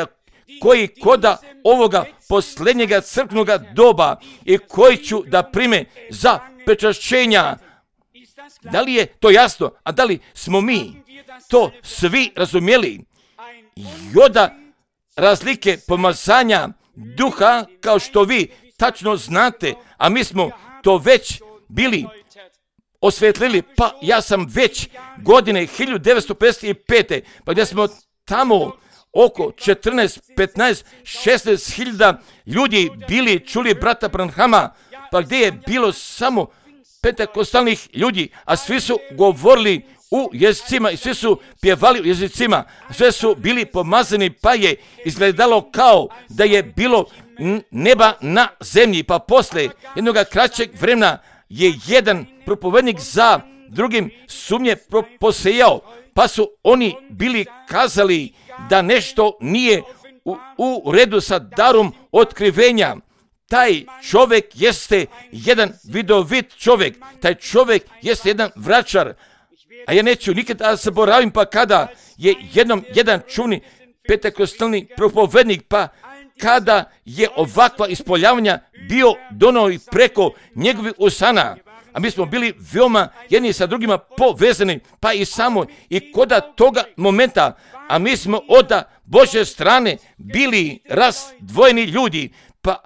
koji koda ovoga posljednjega crkvenoga doba i koji ću da prime za pečašćenja. Da li je to jasno? A da li smo mi to svi razumjeli? Joda razlike pomazanja duha, kao što vi tačno znate, a mi smo to već bili osvetlili, pa ja sam već godine hiljadu devetsto pedeset pete. pa gdje smo tamo oko četrnaest, petnaest, šesnaest hiljada ljudi bili čuli brata Branhama, pa gdje je bilo samo pentekostalnih ljudi, a svi su govorili u jezicima i svi su pjevali u jezicima, sve su bili pomazani, pa je izgledalo kao da je bilo neba na zemlji. Pa posle jednog kraćeg vremena je jedan propovednik za drugim sumnje posejao, pa su oni bili kazali da nešto nije u, u redu sa darom otkrivenja. Taj čovjek jeste jedan vidovit čovjek, taj čovjek jeste jedan vračar, a ja neću nikada zaboravim pa kada je jednom jedan čuvni pentekostalni propovednik, pa kada je ovakva ispoljavanja bio donao i preko njegovih usana, a mi smo bili veoma jedni sa drugima povezani, pa i samo i koda toga momenta, a mi smo od Božje strane bili razdvojeni ljudi, pa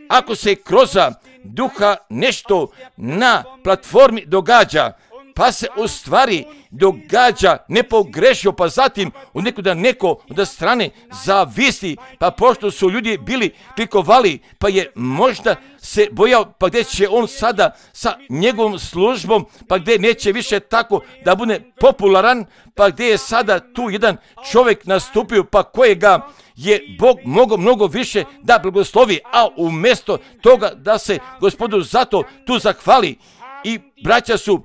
ako se kroz duha nešto na platformi događa, pa se u stvari događa nepogrešio, pa zatim u nekuda neko od strane zavisi, pa pošto su ljudi bili klikovali, pa je možda se bojao, pa gdje će on sada sa njegovom službom, pa gdje neće više tako da bude popularan, pa gdje je sada tu jedan čovjek nastupio, pa kojega je Bog mogao mnogo više da blagoslovi, a umjesto toga da se Gospodu zato tu zahvali. I braća su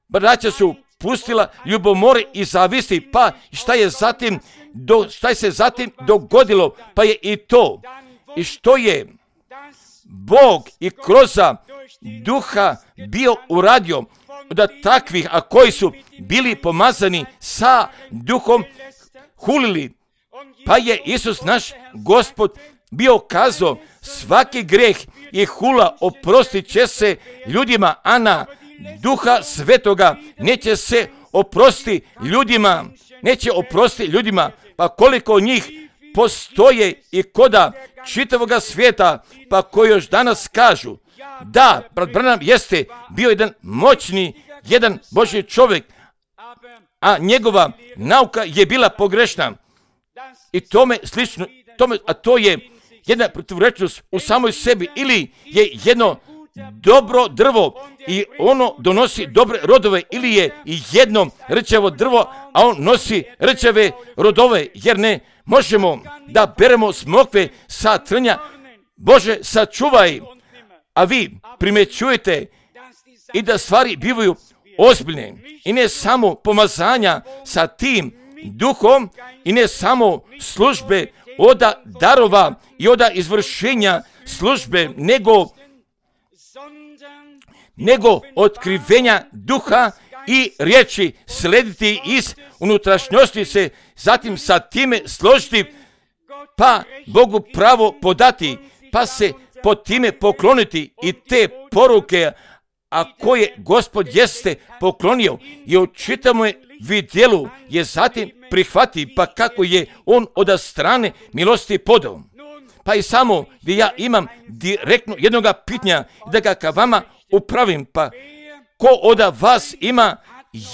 braća su pustila ljubomore i zavisti, pa šta je zatim do, šta je se zatim dogodilo, pa je i to i što je Bog i kroz duha bio uradio da takvih, a koji su bili pomazani sa duhom, hulili, pa je Isus naš Gospod bio kazao svaki greh i hula oprostit će se ljudima, a na Duha Svetoga neće se oprosti ljudima, neće oprosti ljudima, pa koliko njih postoje i koda čitavoga svijeta, pa koji još danas kažu da brat Branham jeste bio jedan moćni, jedan Božji čovjek, a njegova nauka je bila pogrešna i tome slično, tome, a to je jedna protivrečnost u samoj sebi, ili je jedno dobro drvo i ono donosi dobre rodove, ili je jedno rčavo drvo, a on nosi rčave rodove, jer ne možemo da beremo smokve sa trnja. Bože, sačuvaj, a vi primećujete i da stvari bivaju ozbiljne i ne samo pomazanja sa tim duhom i ne samo službe oda darova i oda izvršenja službe, nego nego otkrivenja duha i riječi slediti iz unutrašnjosti se, zatim sa time složiti, pa Bogu pravo podati, pa se pod time pokloniti i te poruke, a koje Gospod jeste poklonio i u čitavom vidjelu je zatim prihvati, pa kako je on od strane milosti podao. Pa i samo gdje ja imam direktno jednoga pitanja da ga ka vama upravim, pa ko od vas ima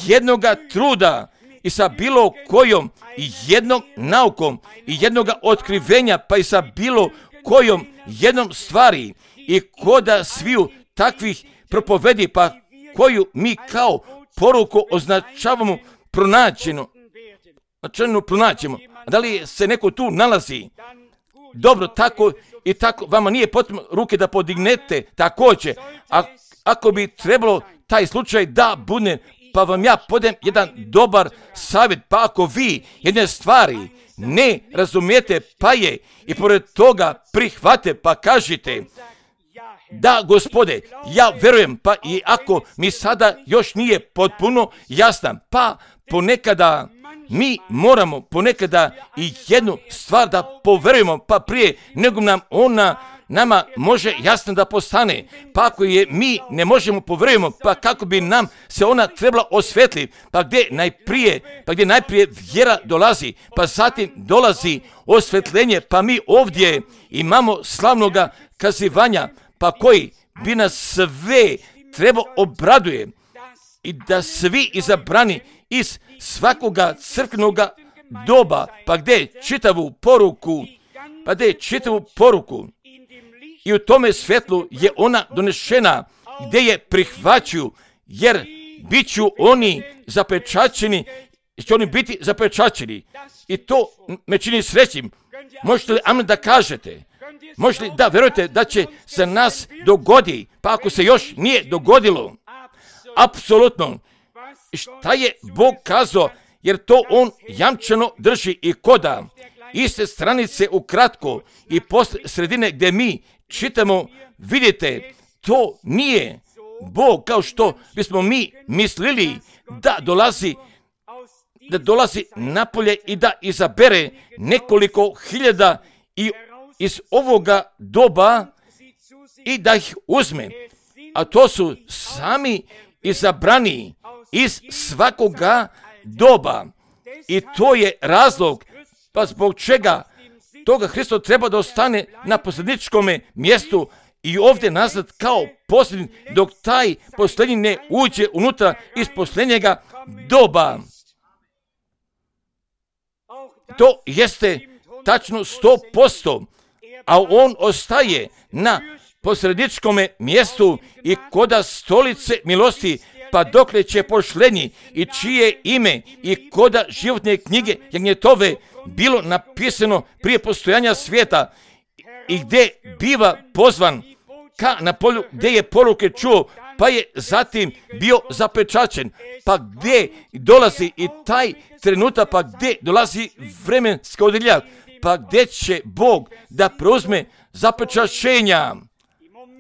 jednoga truda i sa bilo kojom jednom naukom i jednoga otkrivenja, pa i sa bilo kojom jednom stvari i koda sviju takvih propovedi, pa koju mi kao poruku označavamo pronađeno, značajno pronađemo. Da li se neko tu nalazi? Dobro, tako i tako, vama nije potrebno ruke da podignete također. A ako bi trebalo taj slučaj da bude, pa vam ja podem jedan dobar savjet, pa ako vi jedne stvari ne razumijete, pa je i pored toga prihvate, pa kažite, da, Gospode, ja verujem, pa i ako mi sada još nije potpuno jasna, pa ponekada mi moramo ponekada i jednu stvar da poverujemo, pa prije nego nam ona nama može jasno da postane. Pa ako je mi ne možemo poverujemo, pa kako bi nam se ona trebala osvetljiti, pa gdje najprije, pa gdje najprije vjera dolazi, pa zatim dolazi osvetljenje, pa mi ovdje imamo slavnoga kazivanja, pa koji bi nas sve treba obraduje i da svi izabrani iz svakoga crkvenoga doba, pa gdje čitavu poruku, pa gdje čitavu poruku i u tome svjetlu je ona donešena, gdje je prihvaćuju, jer bit ću oni zapečaćeni, će oni biti zapečaćeni. I to me čini srećim. Možete li amen da kažete? Možete li da verujete da će se nas dogodi, pa ako se još nije dogodilo? Apsolutno. Šta je Bog kazao, jer to on jamčano drži i koda. Iste stranice ukratko i posle sredine gdje mi čitamo, vidite, to nije Bog kao što bismo mi mislili da dolazi, da dolazi napolje i da izabere nekoliko hiljada i iz ovoga doba i da ih uzme. A to su sami izabrani iz svakoga doba. I to je razlog, pa zbog čega toga Hristo treba da ostane na posljedničkom mjestu i ovdje nazad kao posljednji, dok taj posljednji ne uđe unutra iz posljednjega doba. To jeste tačno sto posto, a on ostaje na posredničkom mjestu i koda stolice milosti, pa dokle će pošlenji i čije ime i koda životne knjige jagnjetove bilo napisano prije postojanja svijeta i gdje biva pozvan ka na polju gdje je poruke čuo, pa je zatim bio zapečaćen, pa gdje dolazi i taj trenutak, pa gdje dolazi vremenska odjelja, pa gdje će Bog da preuzme zapečaćenja.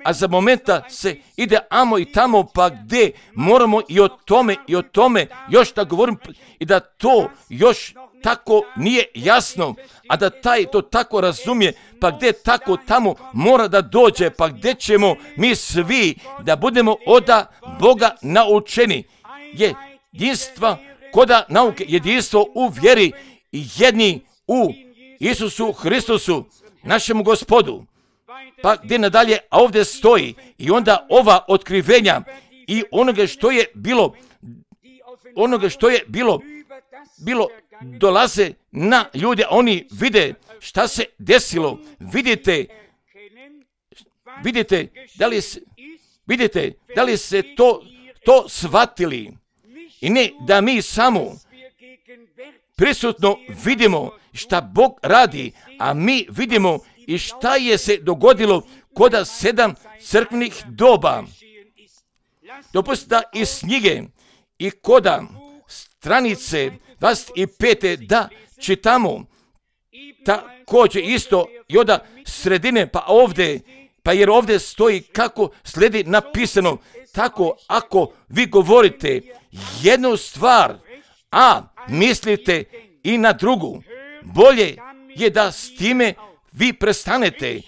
A za momenta se ide amo i tamo, pa gdje moramo i o tome i o tome još da govorim i da to još tako nije jasno, a da taj to tako razumije, pa gdje tako tamo mora da dođe, pa gdje ćemo mi svi da budemo oda Boga naučeni. Je jedinstva koda nauke, jedinstvo u vjeri i jedni u Isusu Hristusu, našemu Gospodu. Pa gdje nadalje, a ovdje stoji i onda ova otkrivenja i onoga što je bilo, onoga što je bilo, bilo dolaze na ljude, oni vide šta se desilo, vidite, vidite, da li se, vidite, da li se to, to shvatili i ne da mi samo prisutno vidimo šta Bog radi, a mi vidimo i šta je se dogodilo koda sedam crkvenih doba. Dopustite da iz knjige i koda stranice dvadeset pet da čitamo također isto i od sredine, pa ovdje, pa jer ovdje stoji kako slijedi napisano, tako ako vi govorite jednu stvar, a mislite i na drugu, bolje je da s time vi prestanete,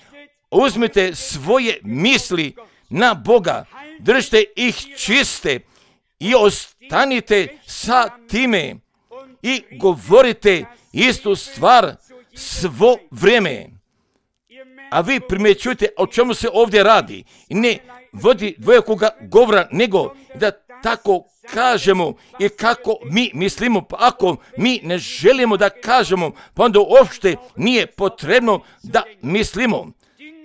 uzmite svoje misli na Boga, držite ih čiste i ostanite sa time i govorite istu stvar svo vrijeme. A vi primjećujete o čemu se ovdje radi. I ne vodi dvojakoga govora, nego da tako kažemo i kako mi mislimo, pa ako mi ne želimo da kažemo, pa onda uopšte nije potrebno da mislimo.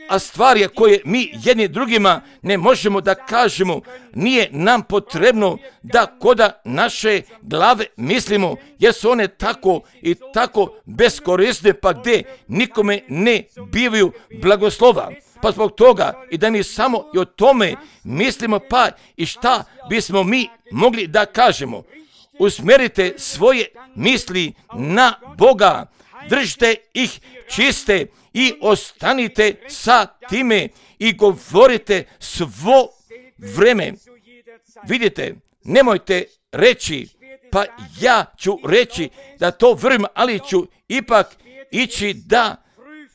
A stvari koje mi jedni drugima ne možemo da kažemo, nije nam potrebno da koda naše glave mislimo, jer su one tako i tako beskorisne, pa gdje nikome ne bivaju blagoslova. Pa zbog toga i da mi samo i o tome mislimo, pa i šta bismo mi mogli da kažemo. Usmjerite svoje misli na Boga, držite ih čiste i ostanite sa time i govorite svo vreme. Vidite, nemojte reći, pa ja ću reći da to vjerujem, ali ću ipak ići da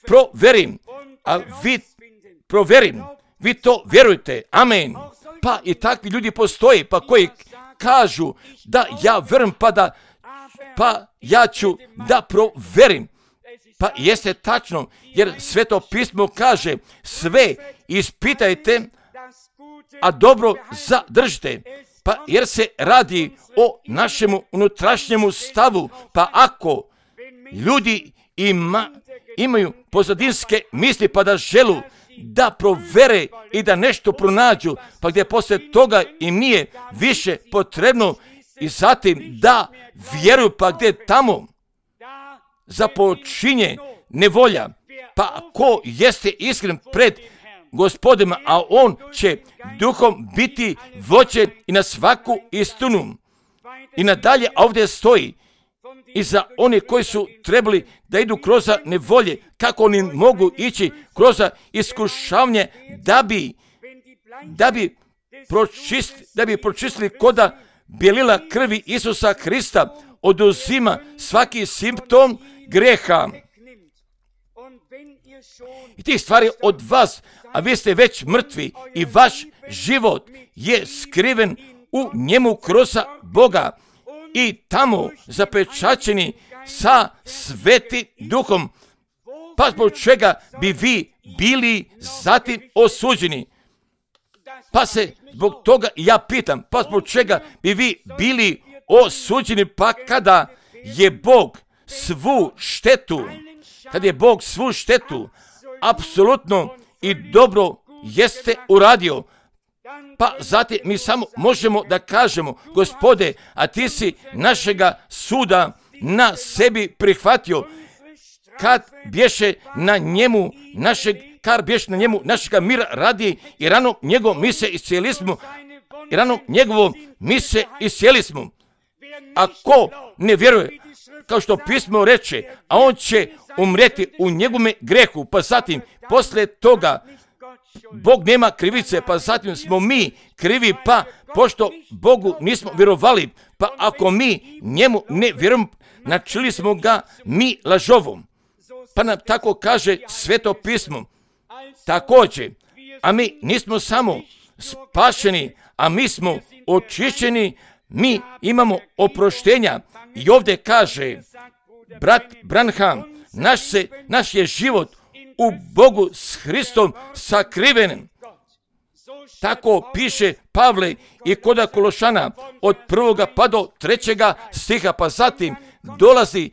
proverim, a vi proverim, vi to vjerujte, amen. Pa i takvi ljudi postoje, pa koji kažu da ja vjerujem, pa da, pa ja ću da proverim. Pa jeste tačno, jer Sveto pismo kaže, sve ispitajte, a dobro zadržite. Pa jer se radi o našemu unutrašnjemu stavu, pa ako ljudi ima, imaju pozadinske misli, pa da želu da provere i da nešto pronađu, pa gdje poslije toga im nije više potrebno i zatim da vjeruju, pa gdje tamo započinje nevolja. Pa ko jeste iskren pred Gospodom, a on će duhom biti vođen i na svaku istinu. I nadalje ovdje stoji i za one koji su trebali da idu kroz nevolje, kako oni mogu ići kroz iskušavanje da bi da bi pročistili, da bi pročistili koda bjelila krvi Isusa Hrista oduzima svaki simptom greha. I tih stvari od vas, a vi ste već mrtvi i vaš život je skriven u njemu kroz Boga i tamo zapečaćeni sa Svetim Duhom. Pa zbog čega bi vi bili zatim osuđeni? Pa se zbog toga ja pitam, pa zbog čega bi vi bili osuđeni, pa kada je Bog svu štetu, kad je Bog svu štetu apsolutno i dobro jeste uradio, pa zatim mi samo možemo da kažemo, Gospode, a ti si našega suda na sebi prihvatio, kad bješe na njemu našeg, kad bješe na njemu našega mira radi i rano njegovom mi se iscijeli smo, i rano njegovom mi se iscijeli smo. Ako ne vjeruje, kao što pismo reče, a on će umreti u njegovome grehu, pa zatim poslije toga Bog nema krivice, pa zatim smo mi krivi, pa pošto Bogu nismo vjerovali, pa ako mi njemu ne vjerujemo, načeli smo ga mi lažovom. Pa nam tako kaže Sveto pismo. Također, a mi nismo samo spašeni, a mi smo očišćeni, mi imamo oproštenja. I ovdje kaže brat Branham, naš, se, naš je život u Bogu s Hristom sakriven. Tako piše Pavle i kod Kološana od prvoga pa do trećega stiha, pa zatim dolazi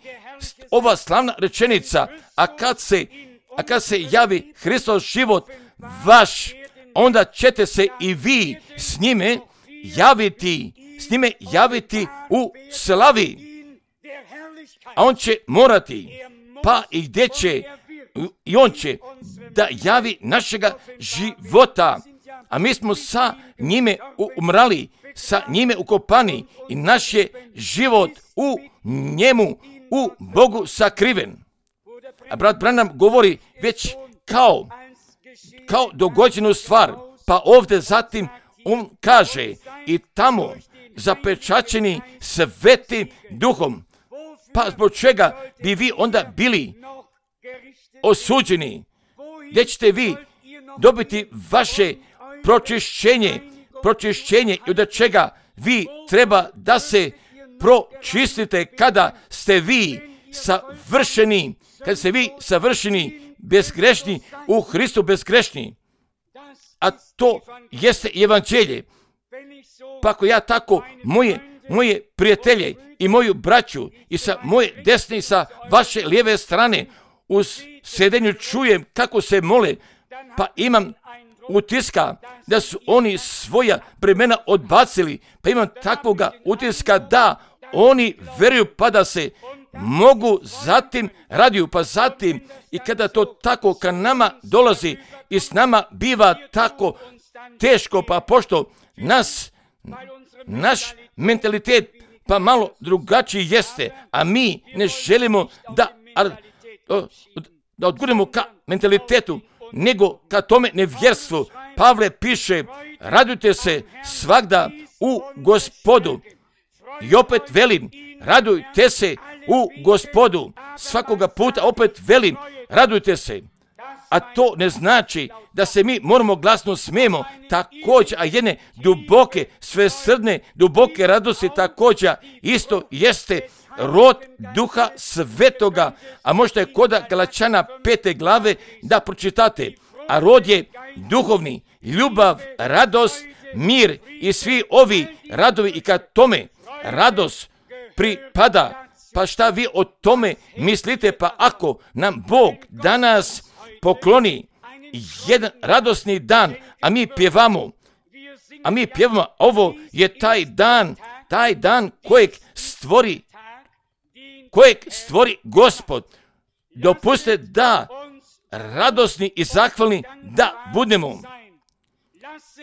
ova slavna rečenica, a kad se, a kad se javi Hristov život vaš, onda ćete se i vi s njime javiti, s njime javiti u slavi. A on će morati, pa i gdje će, i on će da javi našega života, a mi smo sa njime umrali, sa njime ukopani i naš je život u njemu, u Bogu sakriven. A brat Branham govori već kao, kao dogođenu stvar, pa ovdje zatim on kaže i tamo zapečaćeni Svetim Duhom. Pa zbog čega bi vi onda bili osuđeni? Gdje ćete vi dobiti vaše pročišćenje, pročišćenje i od čega vi treba da se pročistite kada ste vi savršeni, kada ste vi savršeni, bezgrešni, u Hristu bezgrešni. A to jeste evanđelje. Pa ako ja tako moje, moje prijatelje i moju braću i sa moje desne i sa vaše lijeve strane u sedenju čujem kako se mole, pa imam utiska da su oni svoja bremena odbacili, pa imam takvoga utiska da oni veruju pa da se mogu zatim radiju, pa zatim i kada to tako ka nama dolazi i s nama biva tako teško, pa pošto nas, naš mentalitet pa malo drugačiji jeste, a mi ne želimo da, da odgurimo ka mentalitetu, nego ka tome nevjerstvu. Pavle piše, radujte se svagda u Gospodu. I opet velim, radujte se u Gospodu. Svakoga puta opet velim, radujte se. A to ne znači da se mi moramo glasno smijemo, također, a jedne duboke, svesrdne, duboke radosti također isto jeste rod Duha Svetoga, a možete koda Galačana pete glave da pročitate. A rod je duhovni, ljubav, radost, mir i svi ovi radovi i kad tome radost pripada. Pa šta vi o tome mislite? Pa ako nam Bog danas pokloni jedan radosni dan, a mi pjevamo, a mi pjevamo, ovo je taj dan, taj dan kojeg stvori, kojeg stvori Gospod. Dopustite da radosni i zahvalni da budemo.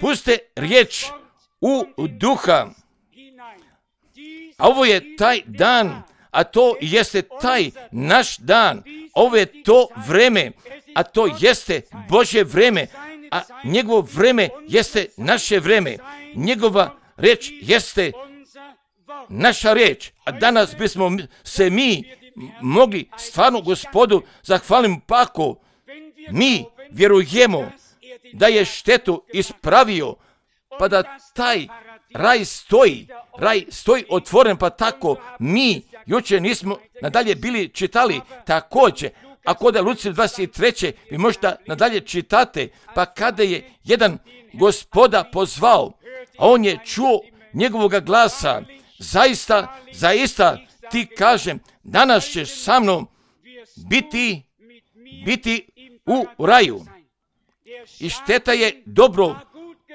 Pustite riječ u duha. A ovo je taj dan, a to jeste taj naš dan. Ovo je to vreme, a to jeste Božje vreme, a njegovo vreme jeste naše vreme. Njegova reč jeste naša reč. A danas bismo se mi mogli stvarno Gospodu zahvaliti, pa ako mi vjerujemo da je štetu ispravio, pa da taj raj stoji, raj stoji otvoren, pa tako mi jučer nismo nadalje bili čitali također, a kod Luci dvadeset treće vi možete nadalje čitate, pa kada je jedan Gospoda pozvao, a on je čuo njegovoga glasa, zaista, zaista ti kažem, danas ćeš sa mnom biti, biti u raju. I šteta je dobro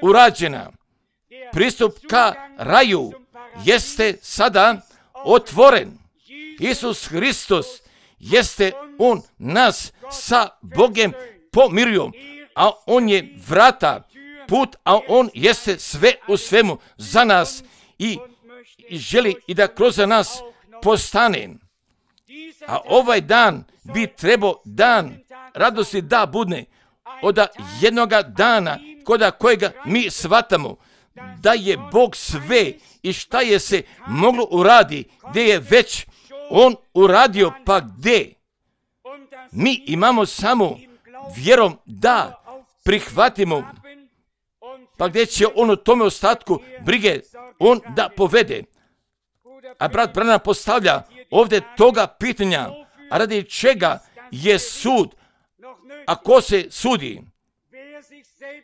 urađena. Pristup ka raju jeste sada otvoren. Isus Hristos jeste on nas sa Bogem pomirio, a on je vrata, put, a on jeste sve u svemu za nas i, i želi i da kroz nas postane. A ovaj dan bi trebao dan radosti da budne od jednoga dana koda kojega mi shvatamo da je Bog sve i šta je se moglo uradi, gdje je već on uradio, pa gdje mi imamo samo vjerom da prihvatimo, pa gdje će on u tome ostatku brige on da povede. A brat Branham postavlja ovdje toga pitanja, a radi čega je sud, a ko se sudi?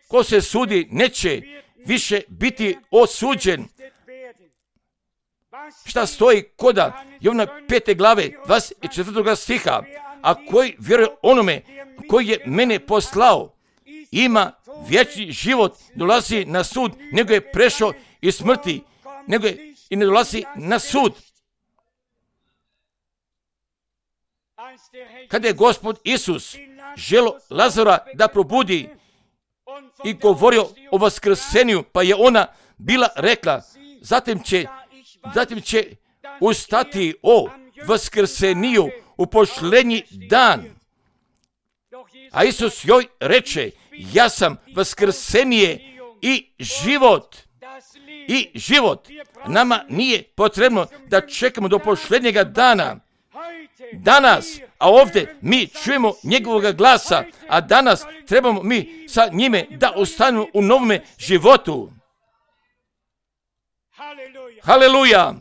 Ko se sudi neće više biti osuđen. Šta stoji koda Jovana pete glave dvadeset četvrtog stiha, a koji vjeruje onome koji je mene poslao, ima vječni život, dolazi na sud, nego je prešao iz smrti, nego je i ne dolazi na sud. Kada je Gospod Isus želo Lazara da probudi i govorio o vaskrsenju, pa je ona bila rekla, zatim će, zatim će ustati o vaskrseniju u posljednji dan. A Isus joj reče, ja sam vaskrsenije i život. I život. Nama nije potrebno da čekamo do posljednjega dana. Danas, a ovdje mi čujemo njegovog glasa, a danas trebamo mi sa njime da ostanemo u novome životu. Haleluja!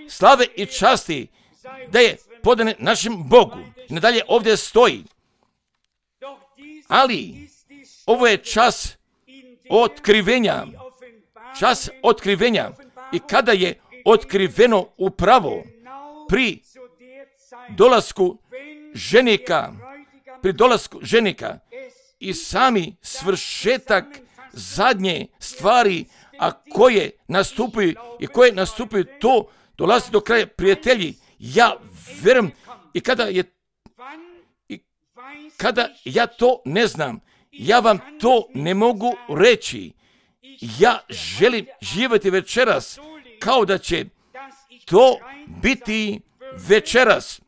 Slave i časti da je podane našem Bogu. Nadalje ovdje stoji. Ali ovo je čas otkrivenja. čas otkrivenja i kada je otkriveno upravo pri dolasku ženika, pri dolasku ženika i sami svršetak zadnje stvari, a koje nastupaju i koje nastupaju, to dolazi do kraja. Prijatelji, ja vjerujem i kada je i kada ja to ne znam, ja vam to ne mogu reći. Ja želim živjeti večeras kao da će to biti večeras.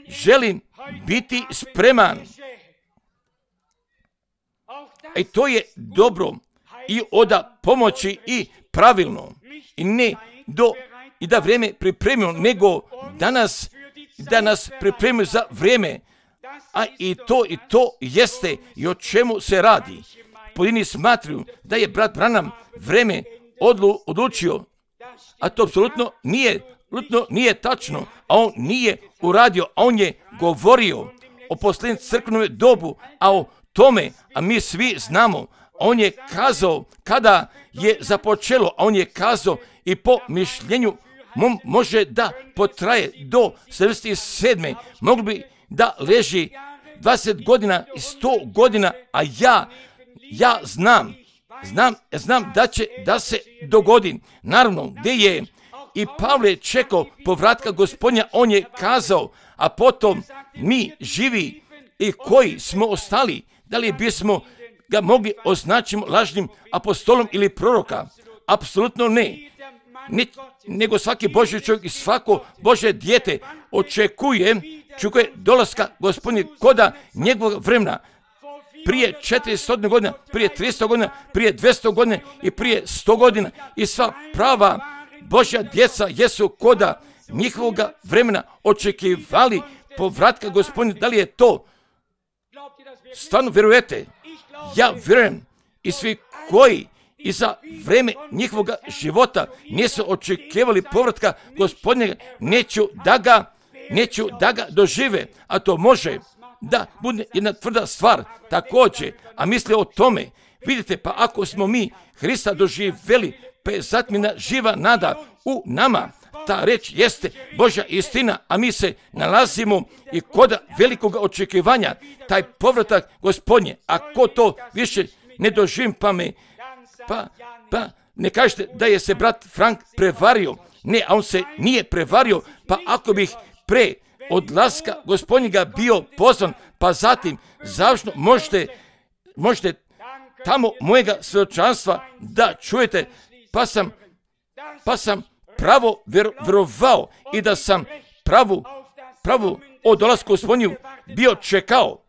Želim biti spreman. I to je dobro i oda pomoći i pravilno. I ne do i da vrijeme pripremimo, nego danas da nas pripremimo za vrijeme. A i to i to jeste i o čemu se radi. Pojedini smatruju da je brat Branham vrijeme odlu, odlučio, a to apsolutno nije, apsolutno nije tačno, a on nije uradio, a on je govorio o posljednjem crkvenom dobu, a o tome, a mi svi znamo, on je kazao kada je započelo, a on je kazao i po mišljenju mom može da potraje do sedamdeset sedme Mogli bi da leži dvadeset godina i sto godina, a ja, ja znam, znam, znam da će da se dogodi. Naravno, gdje je i Pavle čekao povratka Gospodnja, on je kazao, a potom mi živi i koji smo ostali, da li bismo ga mogli označiti lažnim apostolom ili proroka? Apsolutno ne. Ne, nego svaki Božji čovjek i svako Božje dijete očekuje, čekuje dolaska Gospodnjeg koda njegovog vremena. Prije četiristo godina, prije tristo godina, prije dvjesto godina i prije sto godina. I sva prava Božja djeca jesu koda njihovog vremena očekivali povratka Gospodnjeg. Da li je to? Stvarno vjerujete? Ja vjerujem i svi koji i za vrijeme njihovog života nisu očekivali povratka Gospodnjega, neću da ga, neću da ga dožive, a to može da bude jedna tvrda stvar također, a misle o tome. Vidite, pa ako smo mi Hrista doživjeli, pa je zatmina živa nada u nama. Ta reč jeste Božja istina, a mi se nalazimo i kod velikog očekivanja, taj povratak Gospodnje. Ako to više ne doživim, pa me, pa, pa ne kažete da je se brat Frank prevario. Ne, a on se nije prevario, pa ako bih pre odlaska Gospodnjega bio pozvan, pa zatim završno možete, možete tamo mojega svjedočanstva da čujete, pa sam, pa sam pravo vjerovao i da sam pravu, pravu o dolasku Gospodnju bio čekao.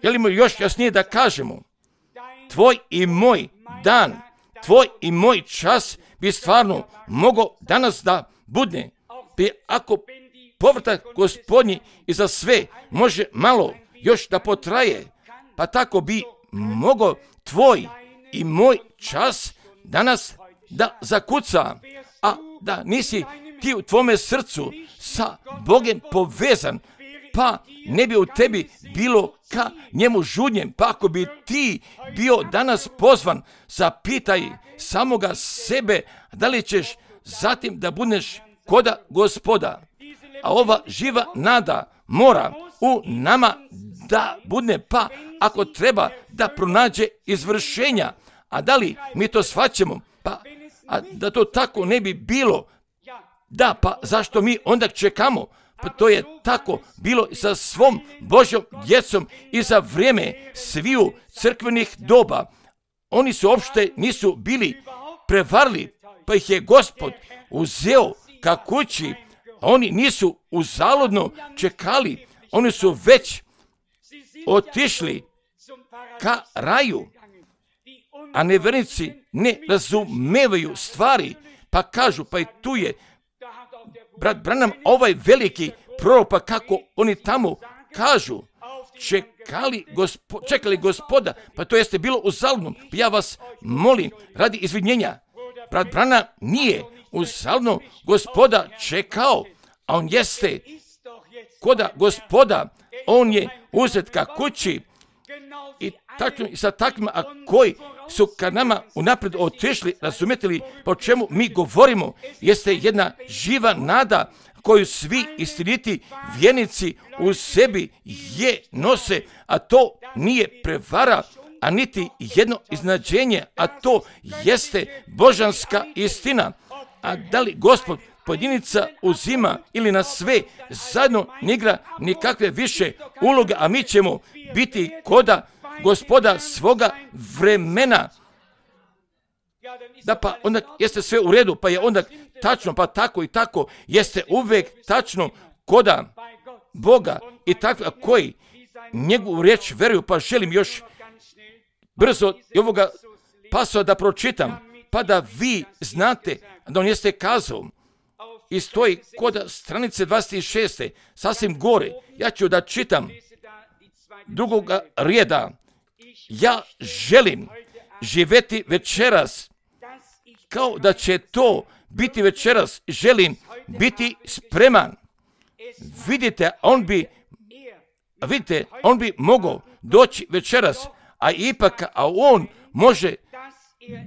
Želimo još jasnije da kažemo, tvoj i moj dan, tvoj i moj čas bi stvarno mogao danas da budne. Bi ako povratak Gospodnji i za sve može malo još da potraje, pa tako bi mogao tvoj i moj čas danas da zakuca, a da nisi ti u tvome srcu sa Bogem povezan, pa ne bi u tebi bilo ka njemu žudnjem. Pa ako bi ti bio danas pozvan, zapitaj samoga sebe da li ćeš zatim da budeš koda Gospoda. A ova živa nada mora u nama da bude, pa ako treba da pronađe izvršenja. A da li mi to shvaćamo? Pa a da to tako ne bi bilo, da, pa zašto mi onda čekamo? Pa to je tako bilo sa svom Božjom djecom i za vrijeme sviju crkvenih doba. Oni su uopšte nisu bili prevarili, pa ih je Gospod uzeo ka kući. Oni nisu uzaludno čekali, oni su već otišli ka raju. A nevjernici ne razumevaju stvari, pa kažu, pa i tu je brat Branham, ovaj veliki prorok, pa kako oni tamo kažu, čekali, gospo, čekali Gospoda, pa to jeste bilo uzaludno. Ja vas molim, radi izvinjenja, brat Branham nije uzaludno Gospoda čekao, a on jeste koda Gospoda, on je uzet ka kući i, tako, i sa takvima, a koji su ka nama unaprijed otišli, razumijete li po čemu mi govorimo, jeste jedna živa nada koju svi istiniti vjernici u sebi je nose, a to nije prevara, a niti jedno iznenađenje, a to jeste božanska istina. A da li Gospod pojedinica uzima ili na sve zajedno ne igra nikakve više uloge, a mi ćemo biti koda Gospoda svoga vremena. Da, pa onda jeste sve u redu, pa je onda tačno, pa tako i tako, jeste uvijek tačno koda Boga i takvi koji njegovu riječ veruju. Pa želim još brzo i ovoga pasova da pročitam, pa da vi znate da on jeste kazao i stoji kod stranice dvadeset šest. sasvim gore. Ja ću da čitam drugog reda. Ja želim živjeti večeras kao da će to biti večeras. Želim biti spreman. Vidite, on bi vidite, on bi mogao doći večeras, a ipak, a on može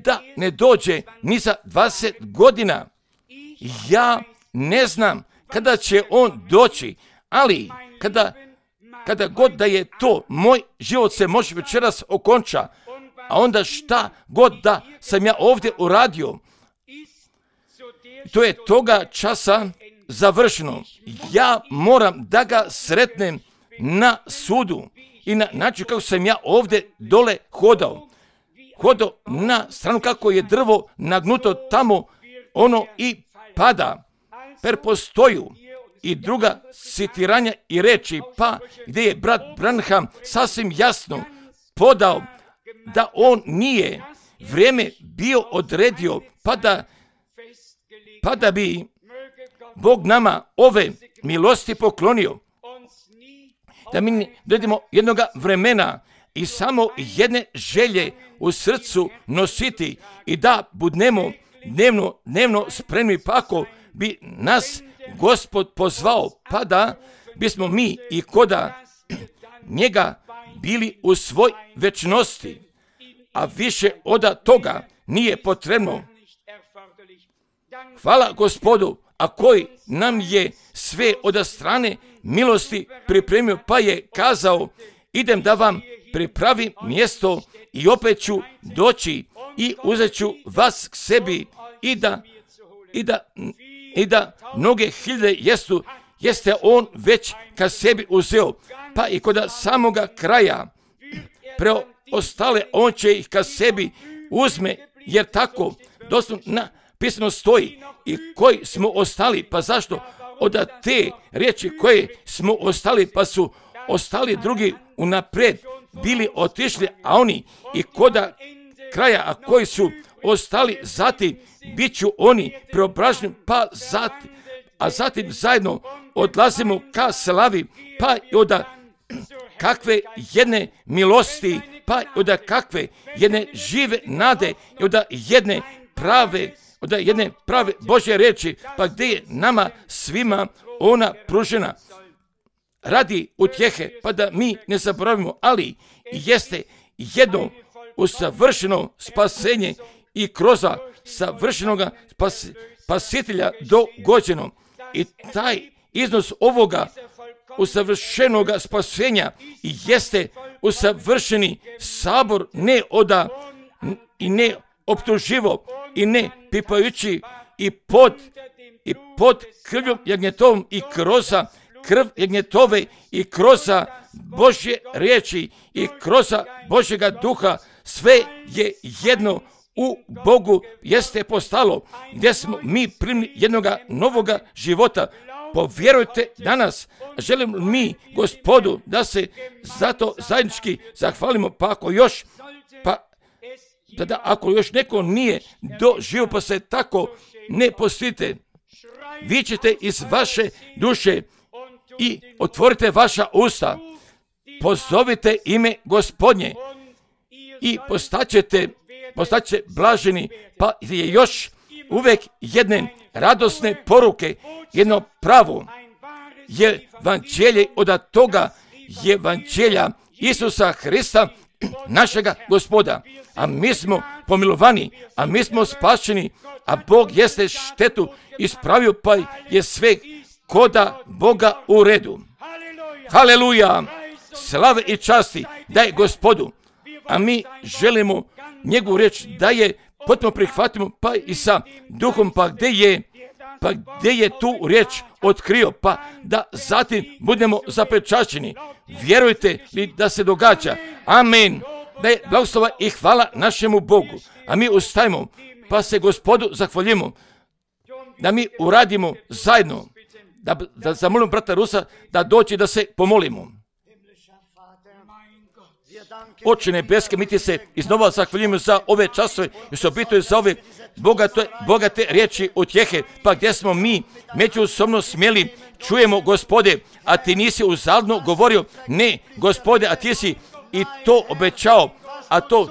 da ne dođe ni za dvadeset godina. Ja ne znam kada će on doći, ali kada, kada god da je to, moj život se može večeras okonča, a onda šta god da sam ja ovdje uradio, to je toga časa završeno. Ja moram da ga sretnem na sudu i na način kako sam ja ovdje dole hodao. Hodao na stranu kako je drvo nagnuto tamo, ono i pada. Per postoju i druga citiranja i reči, pa gdje je brat Branham sasvim jasno podao da on nije vrijeme bio odredio, pa da, pa da bi Bog nama ove milosti poklonio. Da mi dođemo jednoga vremena i samo jedne želje u srcu nositi i da budemo dnevno, dnevno spremni, pa ako bi nas Gospod pozvao, pa da bismo mi i koda njega bili u svoj večnosti, a više od toga nije potrebno. Hvala Gospodu, a koji nam je sve od strane milosti pripremio, pa je kazao, idem da vam pripravim mjesto i opet ću doći i uzet ću vas k sebi i da, i da, i da mnoge hiljade jesu, jeste on već ka sebi uzeo, pa i kod samoga kraja preostale on će ih ka sebi uzme, jer tako doslovno napisano stoji. I koji smo ostali, pa zašto? Od te riječi koje smo ostali, pa su ostali drugi unaprijed bili otišli, a oni i koda kraja, a koji su ostali zatim, bit ću oni preobraženi, pa zatim, a zatim zajedno odlazimo ka slavi, pa i od kakve jedne milosti, pa i od kakve jedne žive nade i od jedne prave, od jedne prave Božje riječi, pa gdje je nama svima ona pružena radi utjehe, pa da mi ne zaboravimo, ali jeste jedno usavršeno spasenje i kroz savršenog spas, spasitelja dogođeno. I taj iznos ovoga usavršenog spasenja jeste usavršeni sabor, ne oda i ne optuživo i ne pipajući i pod, i pod krvjom jagnjetovom i kroz krv jagnjetove i kroz Božje riječi i kroz Božjega duha, sve je jedno u Bogu jeste postalo, gdje smo mi primili jednoga novoga života. Povjerujte danas, želim mi Gospodu da se zato zajednički zahvalimo, pa ako još, pa da, da ako još neko nije doživio, pa se tako ne postite, vi ćete iz vaše duše i otvorite vaša usta, pozovite ime Gospodnje i postaćete, postaće blaženi, pa je još uvijek jedne radosne poruke, jedno pravo evanđelje od toga evanđelja Isusa Hrista našega Gospoda, a mi smo pomilovani, a mi smo spašeni, a Bog jeste štetu ispravio, pa je sve koda Boga u redu. Haleluja! Slave i časti daj Gospodu, a mi želimo njegovu riječ da je potpuno prihvatimo, pa i sa duhom, pa gdje je, pa gdje je tu riječ otkrio, pa da zatim budemo zapečaćeni. Vjerujte li da se događa? Amen. Da je blagoslova i hvala našemu Bogu. A mi ustajemo, pa se Gospodu zahvaljujemo, da mi uradimo zajedno, da, da zamolimo brata Rusa da dođe da se pomolimo. Oče nebeske, mi ti se iznova zahvaljujemo za ove časove i osobito za ove bogate, bogate riječi utjehe, pa gdje smo mi međusobno smjeli čujemo, Gospode, a ti nisi uzaludno govorio, ne, Gospode, a ti si i to obećao, a to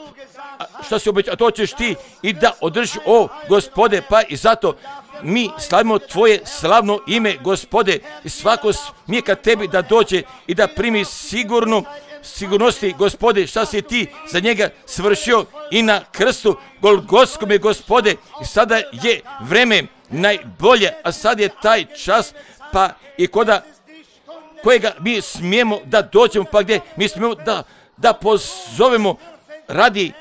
što si obećao, to ćeš ti i da održiš, o Gospode, pa i zato mi slavimo tvoje slavno ime, Gospode, i svako smije ka tebi da dođe i da primi sigurno sigurnosti, Gospode, šta si ti za njega svršio i na krstu Golgotskome, Gospode, i sada je vreme najbolje, a sad je taj čas, pa i koda kojega mi smijemo da dođemo, pa gdje mi smijemo da, da pozovemo radi,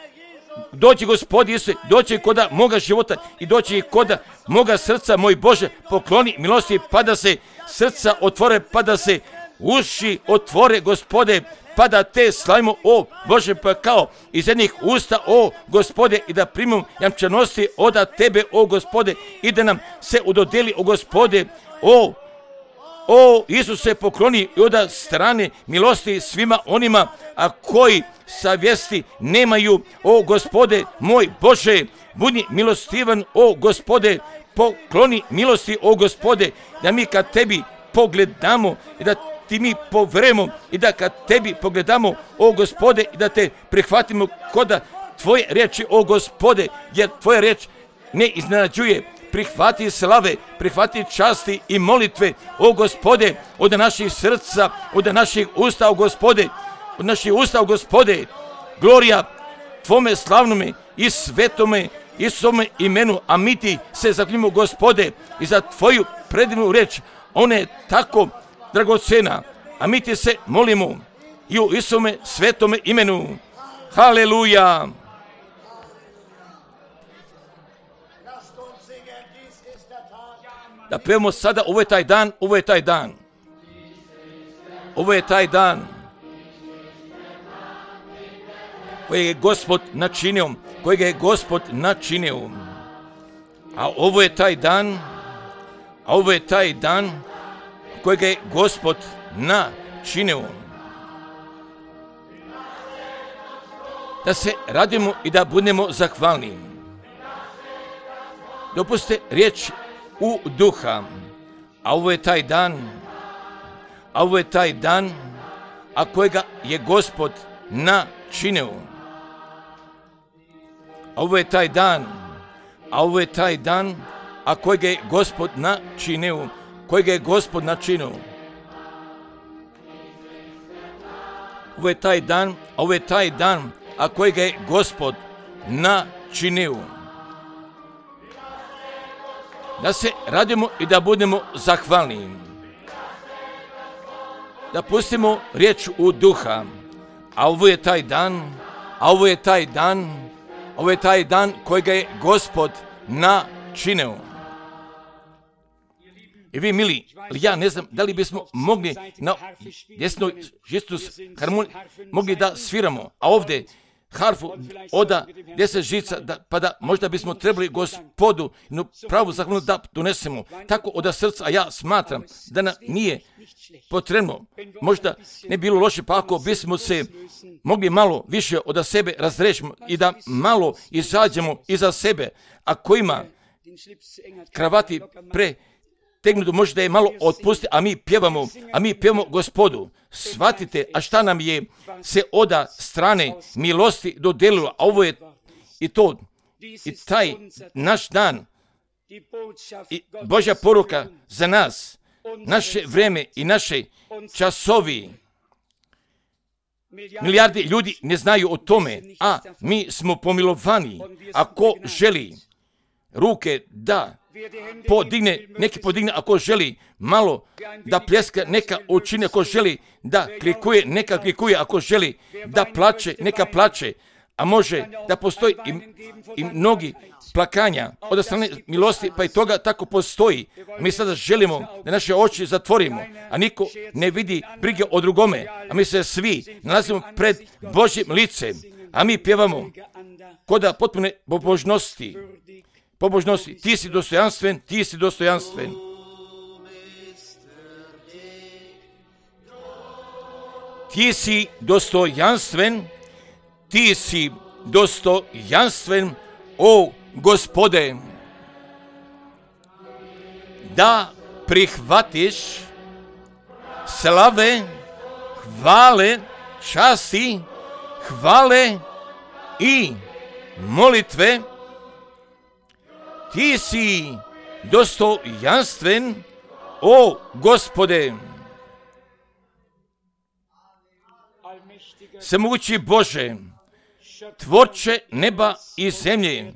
dođi Gospodi Isuse, dođi koda moga života i dođi koda moga srca, moj Bože, pokloni milosti, pa da se srca otvore, pa da se uši otvore, Gospode, pa da te slavimo, o Bože, pa kao iz jednih usta, o Gospode, i da primimo jamčanosti od tebe, o Gospode, i da nam se udodeli, o Gospode, o O Isuse, pokloni i od strane milosti svima onima, a koji savjesti nemaju, o Gospode, moj Bože, budi milostivan, o Gospode, pokloni milosti, o Gospode, da mi kad tebi pogledamo i da ti mi poverujemo i da kad tebi pogledamo, o Gospode, i da te prihvatimo koda tvoje riječi, o Gospode, jer tvoja riječ ne iznenađuje. Prihvati slave, prihvati časti i molitve, o Gospode, od naših srca, od naših usta, o Gospode, od naših usta, o Gospode, glorija tvome slavnome i svetome Isusome imenu, a mi ti se zahvaljujemo, Gospode, i za tvoju predivnu riječ, ona je tako dragocena, a mi ti se molimo i u Isusome svetome imenu. Haleluja! Da pevamo sada, ovo je taj dan, ovo je taj dan. Ovo je taj dan koji je Gospod načinio, kojeg je Gospod načinio. A ovo je taj dan, a ovo je taj dan kojeg je Gospod načinio. Da se radimo i da budemo zahvalni. Dopustite riječ u duha, a ovo je taj dan, a ovo je taj dan, a kojega je Gospod načinio. A ovo je taj dan, a ovo je taj dan, a kojega je Gospod načinio, kojega je Gospod načinio. Ovo je taj dan, a ovo je taj dan, a kojega je Gospod načinio. Da se radimo i da budemo zahvalni. Da pustimo riječ u duha. A ovo je taj dan, a ovo je taj dan, ovo je taj dan kojega je Gospod načinio. I vi, mili, ja ne znam da li bismo mogli na desnoj žicu harmoniji mogli da sviramo, a ovdje harfu oda deset žica, da, pa da možda bismo trebali Gospodu no, pravu zahvalnu da donesemo. Tako od srca, a ja smatram da nam nije potrebno. Možda ne bilo loše, pa ako bismo se mogli malo više od sebe razrešimo i da malo izađemo iza sebe, a kojima kravati pre tegnuto, možda je malo otpusti, a mi pjevamo, a mi pjevamo Gospodu. Shvatite, a šta nam je se oda strane milosti dodelilo, a ovo je i to, i taj naš dan, i Božja poruka za nas, naše vreme i naše časovi. Milijardi ljudi ne znaju o tome, a mi smo pomilovani. Ako želi ruke da podigne, neki podigne, ako želi malo da pljeska, neka učine, ako želi da klikuje, neka klikuje, ako želi da plače, neka plače, a može da postoji i, i mnogi plakanja od strane milosti, pa i toga tako postoji. Mi sada želimo da naše oči zatvorimo, a niko ne vidi brige o drugome, a mi se svi nalazimo pred Božjim licem, a mi pjevamo koda potpune pobožnosti. Pobožnosti, ti si dostojanstven, ti si dostojanstven. Ti si dostojanstven, ti si dostojanstven, o Gospode, da prihvatiš slave, hvale, časti, hvale i molitve. Ti si dostojanstven, o Gospode. Svemogući Bože, tvorče neba i zemlje,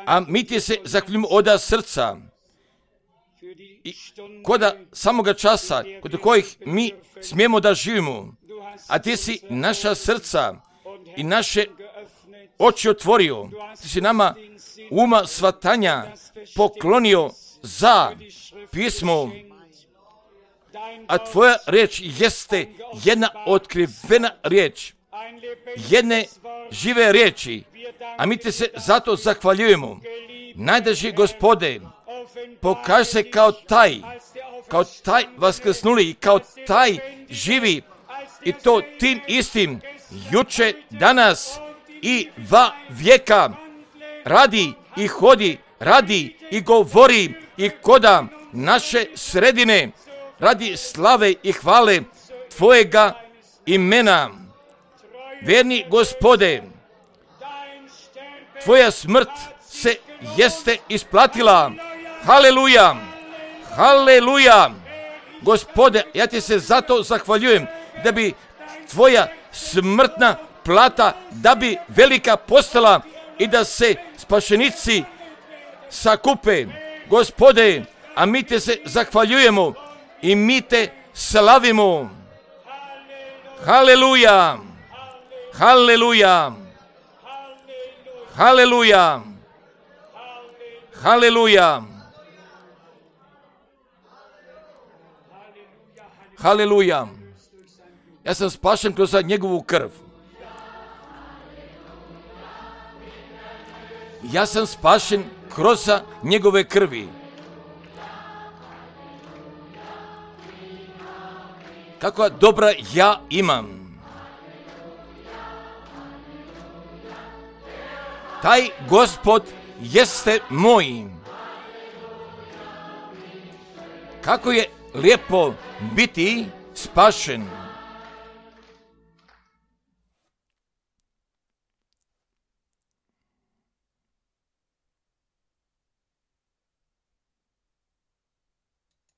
a mi ti se zahvaljujemo od srca i koda samoga časa kod kojih mi smijemo da živimo, a ti si naša srca i naše oči otvorio, ti si nama uma svatanja poklonio za pismo, a tvoja riječ jeste jedna otkrivena riječ, jedne žive riječi, a mi ti se zato zahvaljujemo. Najdraži Gospode, pokaži se kao taj, kao taj vaskrsnuli i kao taj živi, i to tim istim juče, danas i va vijeka. Radi i hodi, radi i govori i koda naše sredine, radi slave i hvale tvojega imena. Vjerni Gospode, tvoja smrt se jeste isplatila. Haleluja, haleluja. Gospode, ja ti se zato zahvaljujem da bi tvoja smrtna plata, da bi velika postala i da se spašenici sakupe. Gospode, a mi te se zahvaljujemo i mi te slavimo. Haleluja, haleluja, haleluja, haleluja, haleluja. Ja sam spašen kroz njegovu krv. Ja sam spašen kroz njegove krvi. Kakva dobra ja imam. Taj Gospod jeste moj. Kako je lijepo biti spašen.